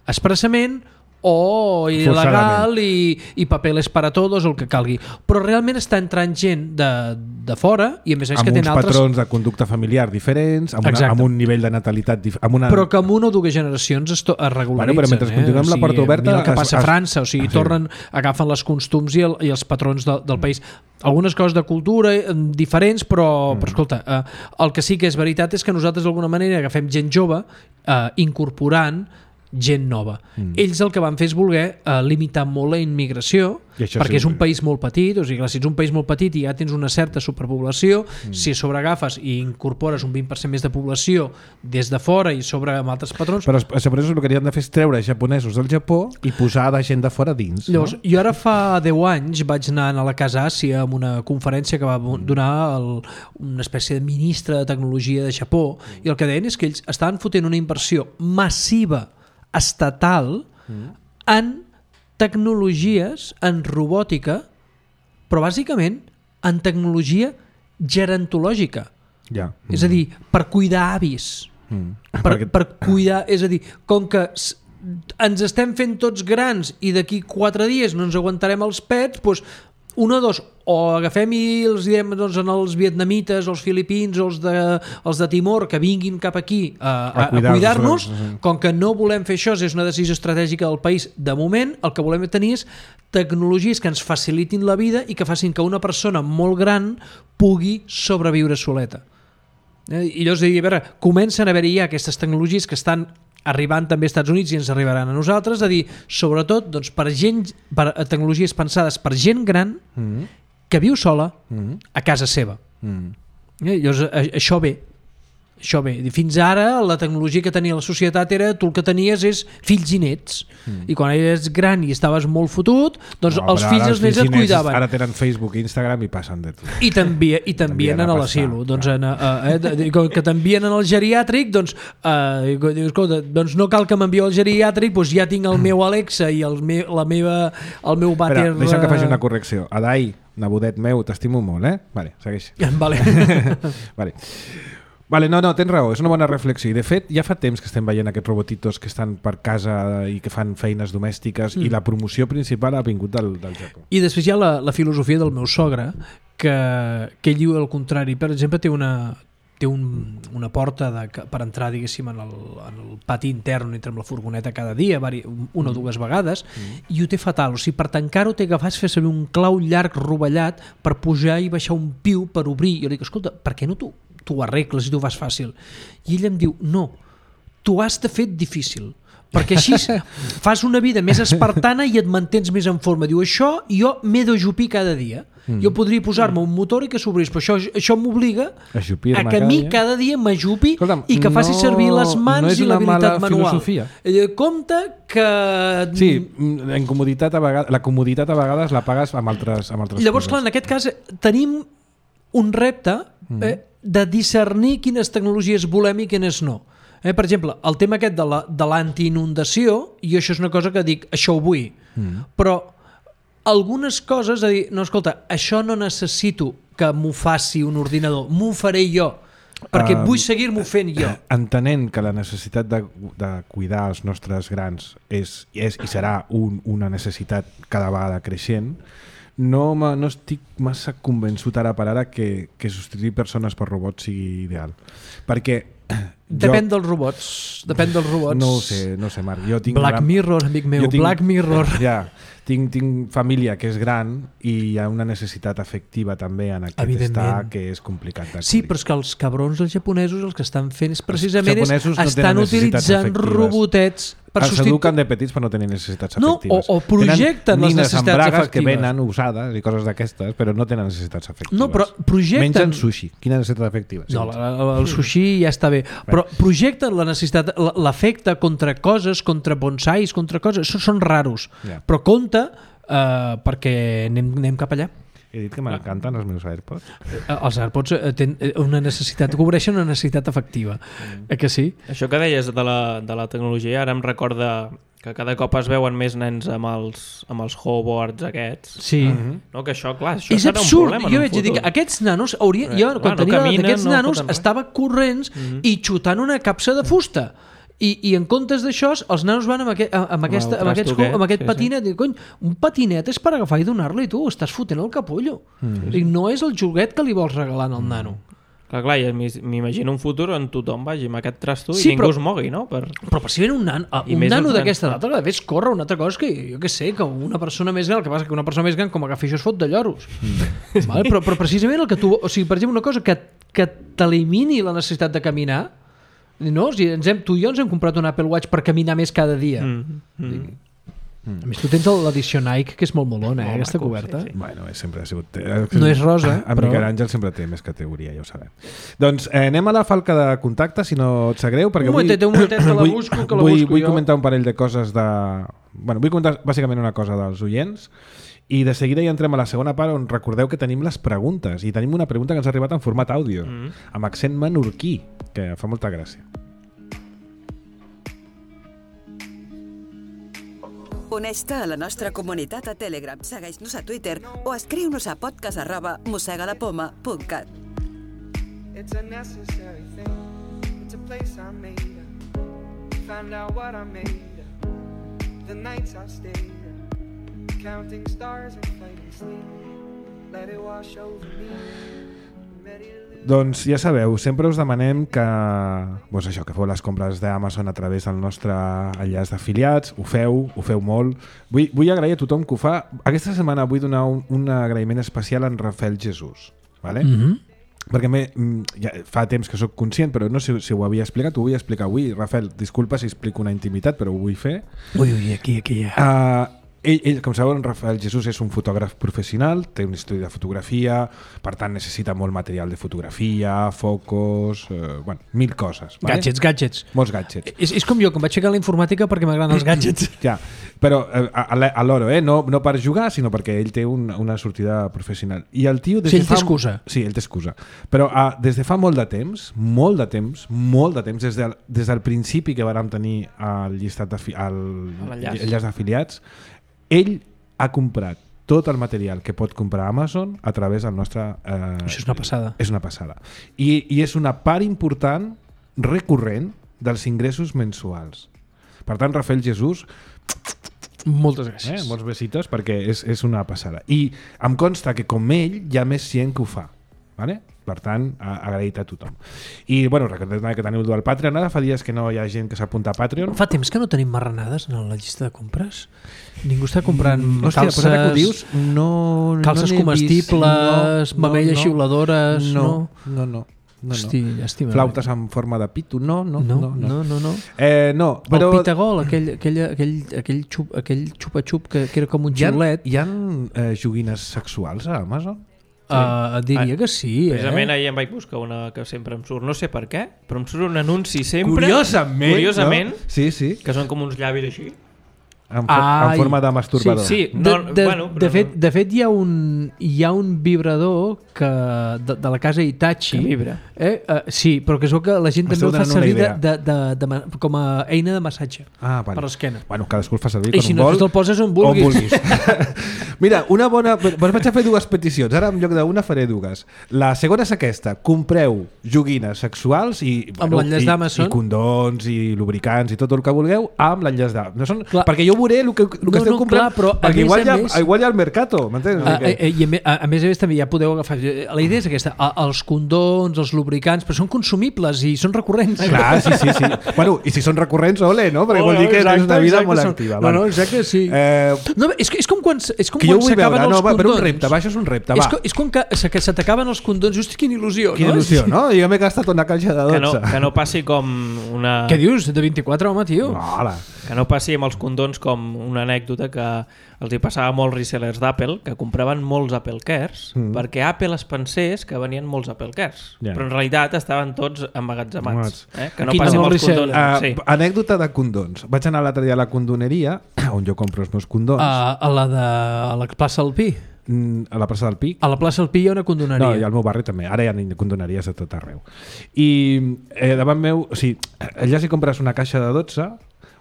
expressament o il·legal i, i papeles para todos, el que calgui. Però realment està entrant gent de, de fora i a més a més amb que tenen altres... patrons de conducta familiar diferents, amb, una, amb un nivell de natalitat diferent. Una... Però que en una o dues generacions es, to- es regularitzen. Bueno, però mentre eh? continuem o sigui, la porta oberta... Mira el que passa es, a França, o sigui, sí. tornen, agafen les costums i, el, i els patrons de, del país. Algunes coses de cultura eh, diferents, però, mm. però escolta, eh, el que sí que és veritat és que nosaltres d'alguna manera agafem gent jove eh, incorporant gent nova. Mm. Ells el que van fer és voler uh, limitar molt la immigració, perquè sí, és un país molt petit, o sigui, clar, si ets un país molt petit i ja tens una certa superpoblació, mm. si sobreagafes i incorpores un vint per cent més de població des de fora i sobre amb altres patrons... Però els japonesos el que havien de fer és treure japonesos del Japó i posar de gent de fora dins. Llavors, no? jo ara fa deu anys vaig anar a la Casa Àsia amb una conferència que va donar el, una espècie de ministre de tecnologia de Japó, i el que deien és que ells estaven fotent una inversió massiva estatal en tecnologies, en robòtica, però bàsicament en tecnologia gerontològica. Ja. Mm. És a dir, per cuidar avis. Mm. Per, Perquè... per cuidar, és a dir, com que ens estem fent tots grans i d'aquí quatre dies no ens aguantarem els pets, doncs una o dos, o agafem i els diem doncs, als vietnamites, als filipins o els de, els de Timor que vinguin cap aquí a, a, a cuidar-nos, sí. Com que no volem fer això, és una decisió estratègica del país de moment, el que volem tenir és tecnologies que ens facilitin la vida i que facin que una persona molt gran pugui sobreviure soleta. I llavors, a veure, comencen a haver-hi ja aquestes tecnologies que estan arribant també als Estats Units i ens arribaran a nosaltres, a dir, sobretot doncs, per gent, per tecnologies pensades per gent gran mm-hmm. que viu sola mm-hmm. a casa seva. Mm-hmm. Eh? Llavors, a, això ve. Això bé, fins ara la tecnologia que tenia la societat era tu el que tenies és fills i nets, mm. i quan eres gran i estaves molt fotut, doncs no, els fills i els nets et cuidaven. Ara tenen Facebook i Instagram i passen de tu. I t'envien a l'asil·lo, doncs, eh, que t'envien al geriàtric, doncs, eh, escolta, doncs no cal que m'envieu al geriàtric, doncs ja tinc el meu Alexa i el meu, la meva, el meu vàter... Espera, deixa'm que faci una correcció. Adai, nebodet meu, t'estimo molt, eh? Vale, segueix. Vale. Vale. Vale, no, no, tens raó, és una bona reflexió. I de fet, ja fa temps que estem veient aquests robotitos que estan per casa i que fan feines domèstiques mm. i la promoció principal ha vingut del, del Japó. I després hi ha la, la filosofia del meu sogre, que, que ell diu el contrari. Per exemple, té una, té un, una porta de, per entrar, diguéssim, en el, en el pati intern on entra amb la furgoneta cada dia, una o dues vegades, mm. i ho té fatal. O sigui, per tancar-ho té que fas fer servir un clau llarg rovellat per pujar i baixar un piu per obrir. Jo li dic, escolta, per què no tu tu ho arregles i tu ho fas fàcil? I ell em diu, no, tu has de fer difícil, perquè així fas una vida més espartana i et mantens més en forma. Diu, això jo m'he d'ajupir cada dia. Mm. Jo podria posar-me un motor i que s'obrís, però això, això m'obliga a que a mi cada dia m'ajupi i que faci servir les mans no i l'habilitat manual. Eh, compte que... Sí, en comoditat a vegades, la comoditat a vegades la pagues amb altres, amb altres Llavors, coses. clar, en aquest cas tenim un repte mm. eh, de discernir quines tecnologies volem i quines no. Eh, per exemple, el tema aquest de, la, de l'antiinundació, i això és una cosa que dic, això ho vull, mm. però algunes coses, a dir, no, escolta, això no necessito que m'ho faci un ordinador, m'ho faré jo, perquè uh, vull seguir-m'ho fent jo. Entenent que la necessitat de, de cuidar els nostres grans és, és i serà un, una necessitat cada vegada creixent, No, no estic massa convençut ara per ara que, que substituir persones per robots sigui ideal. Perquè... Depèn jo, dels robots. Depèn dels robots. No ho sé, no ho sé, Marc. Jo tinc Black gran... Mirror, amic meu, tinc, Black Mirror. Ja, tinc, tinc família que és gran i hi ha una necessitat afectiva també en aquest estar que és complicat de Sí, però és que els cabrons els japonesos el que estan fent és precisament és, no estan utilitzant robotets per els substitu... eduquen de petits per no tenir necessitats no, afectives. O, o projecten les necessitats afectives. Que venen usades i coses d'aquestes, però no tenen necessitats afectives. No, però projecten... Mengen sushi. Quina necessitat afectiva? No, el, el sushi ja està bé. Però projecten la necessitat, l'afecte contra coses, contra bonsais, contra coses. Això són raros. Yeah. Però compte eh, perquè anem, anem cap allà. He dit que m'encanten els meus AirPods. Els AirPods tenen una necessitat, cobreixen una necessitat afectiva. Mm. Eh que sí? Això que deies de la, de la tecnologia ara em recorda que cada cop es veuen més nens amb els, amb els hoverboards aquests. Sí. Uh-huh. No, que això, clar, això és serà absurd. un problema jo en un vaig futur. dir que aquests nanos haurien... Jo, quan clar, tenia no caminen, d'aquests no nanos estava corrents uh-huh. i xutant una capsa de fusta. I, i en comptes d'això, els nanos van amb, aquest, amb, aquesta, amb, aquests, amb aquest sí, patinet. Sí. Cony, un patinet és per agafar i donar-li, tu. Estàs fotent el capullo. Mm. I no és el joguet que li vols regalar al nano. Clar, clar, m'imagino un futur on tothom vagi amb aquest trasto sí, i ningú però, es mogui, no? Per... Però per si ven un nano, un nano d'aquesta edat, el que ves córrer una altra cosa que jo que sé, que una persona més gran, el que passa que una persona més gran com agafi això es fot de lloros. Mm. Vale? Però, però precisament el que tu... O sigui, per exemple, una cosa que, que t'elimini la necessitat de caminar. No? O sigui, ens hem, tu i jo ens hem comprat un Apple Watch per caminar més cada dia. Mm. Mm. Mm. A més, tu tens l'edició Nike, que és molt molona, eh, aquesta maco, coberta. Sí, sí. Bueno, sempre ha sigut... No és rosa, en però... Miquel Àngel sempre té més categoria, ja ho sabem. Doncs eh, anem a la falca de contacte, si no et sap greu, perquè un momentet, vull... un momentet que la busco, que la vull, busco vull jo. comentar un parell de coses de... Bueno, vull comentar bàsicament una cosa dels oients i de seguida ja entrem a la segona part on recordeu que tenim les preguntes i tenim una pregunta que ens ha arribat en format àudio, mm. amb accent menorquí, que fa molta gràcia. Uneix-te a la nostra comunitat a Telegram, segueix-nos a Twitter o escriu-nos a podcast arroba mossegalapoma punt cat. It's a necessary thing. It's a place I made up. Find out what I made up. The nights I stayed up. Counting stars and fighting sleep. Let it wash over me. Doncs ja sabeu, sempre us demanem que, doncs això, que feu les compres d'Amazon a través del nostre enllaç d'afiliats, ho feu, ho feu molt. Vull, vull agrair a tothom que ho fa. Aquesta setmana vull donar un, un agraïment especial a en Rafael Jesús, ¿vale? Mm-hmm. Perquè me, ja fa temps que sóc conscient, però no sé si ho havia explicat, ho vull explicar avui. Rafael, disculpa si explico una intimitat, però ho vull fer. Ui, ui, aquí, aquí ja. Uh, Ell, ell, com sabeu, en Rafael Jesús és un fotògraf professional, té un estudi de fotografia, per tant necessita molt material de fotografia, focus, eh, bueno, mil coses. Vale? Gadgets, gadgets. Molts gadgets. És, és com jo, que em vaig ficar a la informàtica perquè m'agraden els gadgets. Ja, però eh, a l'hora, eh? no, no per jugar, sinó perquè ell té un, una sortida professional. I el tio... Des sí, ell de té fa... excusa. Sí, ell té excusa. Però uh, des de fa molt de temps, molt de temps, molt de temps, des del, des del principi que vàrem tenir el llistat d'enllaç d'afiliats, ell ha comprat tot el material que pot comprar Amazon a través del nostre... Eh, Això és una passada. És una passada. I, I és una part important, recurrent, dels ingressos mensuals. Per tant, Rafael Jesús... Moltes gràcies. Eh, molts besitos, perquè és, és una passada. I em consta que com ell hi ha més gent que ho fa. Vale? Per tant, agraït a tothom. I, bueno, recordeu que teniu el Patreon. Ara fa dies que no hi ha gent que s'apunta a Patreon. Fa temps que no tenim marranades en la llista de compres. Ningú està comprant mm, hòstia, calces, que ho dius, no, calces no comestibles, no, mamelles no, xiuladores... No, no, no. no. No, Hosti, llàstima. Flautes en forma de pito, no, no, no, no. no, no, no. Eh, no però... El pitagol, aquell, aquell, aquell, aquell, xup, aquell xupa-xup que, que era com un xiulet. Hi ha, hi ha eh, joguines sexuals a Amazon? Uh, diria que sí, eh? Precisament ahir em vaig buscar una que sempre em surt, no sé per què, però em surt un anunci sempre... Curiosament, Curiosament, no? Sí, sí. Que són com uns llavis així. En, en forma de masturbador. Sí, sí. No, de, de, bueno, de, fet, de fet hi ha un, hi ha un vibrador que, de, de la casa Hitachi que vibra. Eh? Uh, sí, però que es veu que la gent també el fa servir de, de, de, de, de, com a eina de massatge ah, vale. per l'esquena. Bueno, cadascú el fa servir i quan si un no, vol. te'l poses on vulguis, on vulguis. Mira, una bona... Vaig a fer dues peticions. Ara en lloc d'una faré dues. La segona és aquesta. Compreu joguines sexuals i, amb bueno, l'enllaç d'Amazon, i condons i lubricants i tot el que vulgueu amb l'enllaç d'Amazon. No són... Perquè jo veuré el que, el que no, esteu no, comprant, clar, però perquè més, igual, hi ha, més, igual hi ha el mercato, m'entens? A, a, I a, a, a més a més també ja podeu agafar... La idea és aquesta, els condons, els lubricants, però són consumibles i són recurrents. Clar, sí, sí, sí. Bueno, i si són recurrents, ole, no? Perquè oh, vol dir que exacte, tens una vida molt són... activa. No, no, exacte, sí. Eh... No, és, és com quan, és com que quan veure, s'acaben els no, condons. Per un repte, va, això és un repte, va. És, com, és com que, que se t'acaben els condons, just quina il·lusió, quina no? il·lusió, no? Jo m'he gastat una caixa de dotze. Que no, que no passi com una... Què dius? De vint-i-quatre, home, tio? No, hola. Que no passi amb els condons com una anècdota que els hi passava a molts resellers d'Apple que compraven molts Apple Cares mm. perquè Apple es pensés que venien molts Apple Cares, yeah. però en realitat estaven tots emmagatzemats. Eh? Que no passi amb els condons. Uh, sí. Anècdota de condons. Vaig anar l'altre dia a la condoneria, on jo compro els meus condons. Uh, a la de a la plaça del Pi? Mm, a la plaça del Pi. A la plaça del Pi hi ha una condoneria. No, i al meu barri també. Ara hi ha condoneries de tot arreu. I eh, davant meu, o sigui, allà si compres una caixa de dotze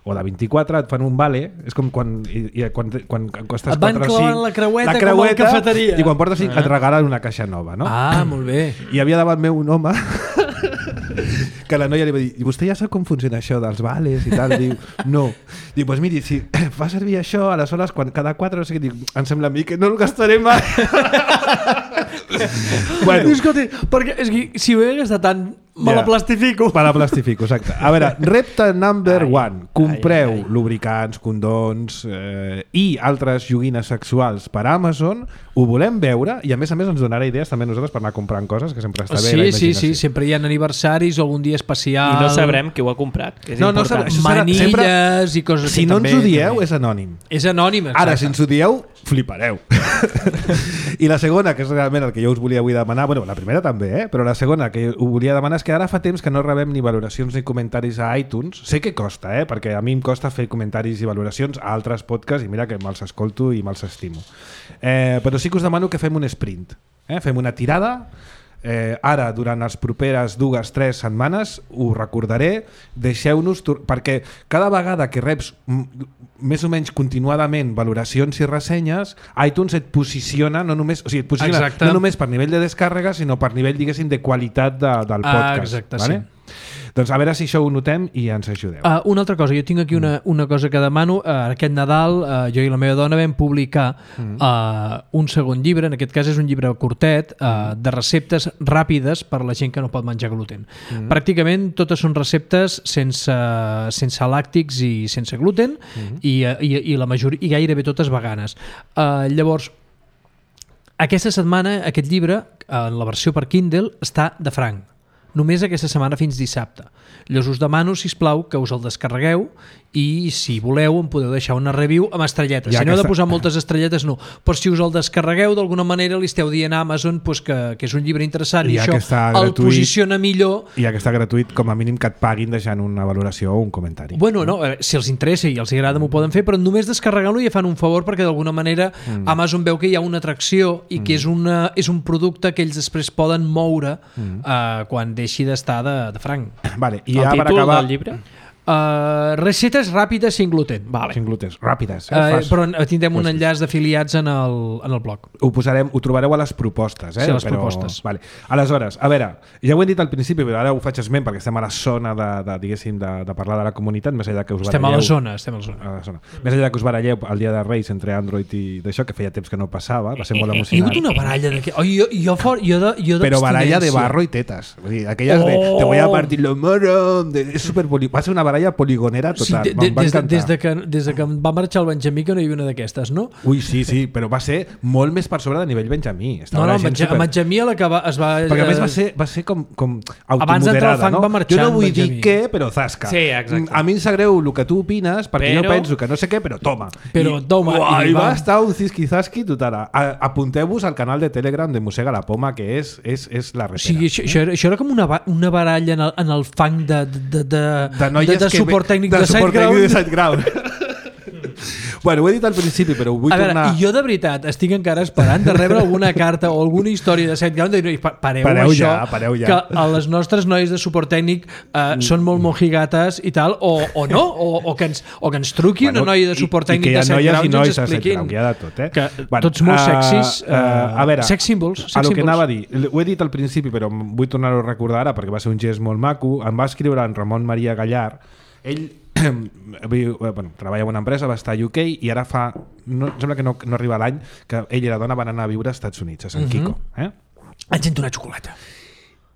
o de vint-i-quatre et fan un vale, és com quan, i, i, quan, quan, quan costes et van quatre o cinc, la creueta, la creueta com a la cafeteria i quan portes cinc ah. et regalen una caixa nova, no? Ah, molt bé. I havia davant meu un home que la noia li va dir, i vostè ja sap com funciona això dels vales i tal? Diu, no. Diu, doncs miri, si fa servir això, aleshores quan cada quatre, no sé què, diu, em sembla a mi que no el gastaré mai. Bueno. Escolta, perquè és que si ho he gastat tant, me yeah. la plastifico. Me la plastifico, exacte. A veure, repte number ai, one. Compreu ai, ai. lubricants, condons eh, i altres joguines sexuals per Amazon. Ho volem veure i a més a més ens donarà idees també nosaltres per anar comprant coses que sempre està bé sí, la imaginació. Sí, sí, sempre hi ha aniversaris o algun dia especial. I no sabrem qui ho ha comprat, que és no, important. No, manilles sempre, i coses si que no també... ens ho dieu, també. És anònim. És anònim, exacte. Ara, si ens ho dieu, flipareu. I la segona, que és realment el que jo us volia avui demanar, bueno, la primera també, eh? Però la segona que ho volia demanar és que ara fa temps que no rebem ni valoracions ni comentaris a iTunes. Sé que costa, eh? Perquè a mi em costa fer comentaris i valoracions a altres podcasts i mira que me'ls escolto i me'ls estimo. Eh, però sí que us demano que fem un sprint. Eh? Fem una tirada. Eh, ara, durant les properes dues, tres setmanes, ho recordaré, deixeu-nos, perquè cada vegada que reps més o menys continuadament valoracions i ressenyes, iTunes et posiciona no només, o sigui, et posiciona no només per nivell de descàrrega, sinó per nivell, diguéssim, de qualitat de, del podcast. Ah, exacte, vale? Sí. Doncs a veure si això ho notem i ens ajudeu. Uh, una altra cosa, jo tinc aquí una, una cosa que demano. Uh, aquest Nadal uh, jo i la meva dona vam publicar uh, un segon llibre, en aquest cas és un llibre curtet, uh, de receptes ràpides per a la gent que no pot menjar gluten. Mm. Pràcticament totes són receptes sense, sense làctics i sense gluten mm. i, i, i la majoria, i gairebé totes veganes. Uh, llavors, aquesta setmana aquest llibre, en uh, la versió per Kindle, està de franc. Només aquesta setmana fins dissabte. Llavors us demano, sisplau, que us el descarregueu i si voleu em podeu deixar una review amb estrelletes. Ja si no heu de posar moltes estrelletes, no. Però si us el descarregueu, d'alguna manera li esteu dient a Amazon pues, que, que és un llibre interessant i, i això el gratuït, posiciona millor. I ja que està gratuït, com a mínim que et paguin deixant una valoració o un comentari. Bueno, no, si els interessa i els agrada m'ho poden fer, però només descarregant-lo ja fan un favor perquè d'alguna manera mm. Amazon veu que hi ha una atracció i mm. que és, una, és un producte que ells després poden moure mm. uh, quan deixi d'estar de, de franc. Vale, i el ja per acabar... del llibre? Uh, receptes ràpides sin gluten. Vale. Sin gluten, ràpides. Eh? Uh, però tindrem un enllaç d'afiliats en, el, en el blog. Ho posarem, ho trobareu a les propostes. Eh? Sí, a les però, propostes. Vale. Aleshores, a veure, ja ho hem dit al principi, però ara ho faig esment perquè estem a la zona de, de, diguéssim, de, de parlar de la comunitat, més enllà que us estem baralleu... a la zona, estem a la zona. A la zona. Més enllà que us baralleu el dia de Reis entre Android i d'això, que feia temps que no passava, va ser molt emocionant. Hi ha hagut una baralla de... Oh, jo, jo, for, jo de, jo però baralla de barro i tetes. Vull dir, aquelles oh. de te voy a partir lo moro... De, és super poli... Va ser una baralla poligonera total. Sí, de, de, des, de, des, de que, des de que va marxar el Benjamí que no hi havia una d'aquestes, no? Ui, sí, sí, però va ser molt més per sobre de nivell Benjamí. Estava no, no, Benja, super... Benjamí a la que va, es va... Perquè a més va ser, va ser com, com automoderada, abans d'entrar al fang no? Va marxar jo no vull Benjamí. dir què, però zasca. Sí, exacte. A mi em sap greu el que tu opines, perquè però... jo penso que no sé què, però toma. Però I, toma. Uah, I, i va estar un zisqui-zasqui total. Apunteu-vos al canal de Telegram de Mossega la Poma, que és, és, és la repera. O sigui, això, això, era, això era com una, una baralla en el, en el fang de, de, de, de, de, de suport tècnic de, de SiteGround. Ground. Bueno, ho he dit al principi, però ho vull a veure, tornar... Jo de veritat estic encara esperant de rebre alguna carta o alguna història de SiteGround de dir, pareu, pareu això, ja, pareu ja. Que a les nostres noies de suport tècnic eh, mm. són molt mojigates i tal, o, o no, o, o, que ens, o que ens truqui bueno, una noia de suport tècnic de SiteGround i ens expliquin que hi ha de tot, eh? Que bueno, tots molt sexis, uh, uh, a veure, sex symbols, sex a lo symbols. Que anava a dir, ho he dit al principi, però vull tornar-ho a recordar ara perquè va ser un gest molt maco. Em va escriure en Ramon Maria Gallar. Ell bueno, treballa en una empresa, va estar a U K i ara fa, no, sembla que no, no arriba l'any que ell i la dona van anar a viure als Estats Units, a Sant uh-huh. Quico. Eh? Ens hem donat xocolata.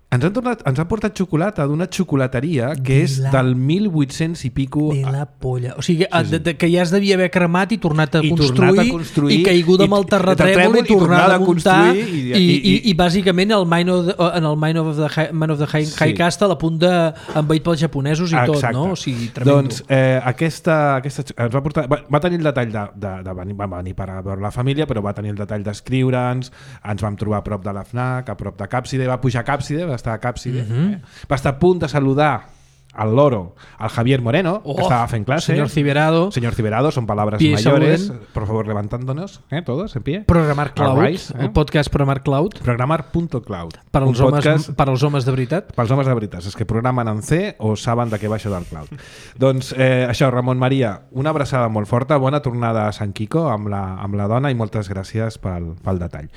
Ens han, tornat, ens han portat xocolata d'una xocolateria que de és la... del mil vuit-cents i pico... De la polla. O sigui, sí, sí. De, de, que ja es devia haver cremat i tornat a, I construir, tornat a construir i caiguda amb el terratrèmol i, i tornat a muntar i, i, i, i, i, i bàsicament el Mine of the, en el Mine of the High, Man of the High, sí. High Castle a punt d'envaït pels japonesos i Exacte. Tot, no? O sigui, tremendo. Doncs eh, aquesta, aquesta ens va portar... Va, va tenir el detall de, de, de venir, va venir per a veure la família, però va tenir el detall d'escriure'ns, ens vam trobar a prop de la FNAC, a prop de Càpside, va pujar a Càpside, va estar a Càpside, mm-hmm. Eh? Va estar a punt de saludar al loro, al Javier Moreno, oh, que estaba en clase. Señor Ciberado. Señor Ciberado, son palabras Pie mayores. Sauden. Por favor, levantándonos, ¿eh? Todos en pie. Programar Cloud, rise, eh? El podcast Programar Cloud. Programar.cloud. Per als, homes, per als homes de veritat. Per als homes de veritat, és que programen en C o saben de què va això del cloud. Doncs eh, això, Ramon Maria, una abraçada molt forta, bona tornada a Sant Quico amb la, amb la dona i moltes gràcies pel, pel detall.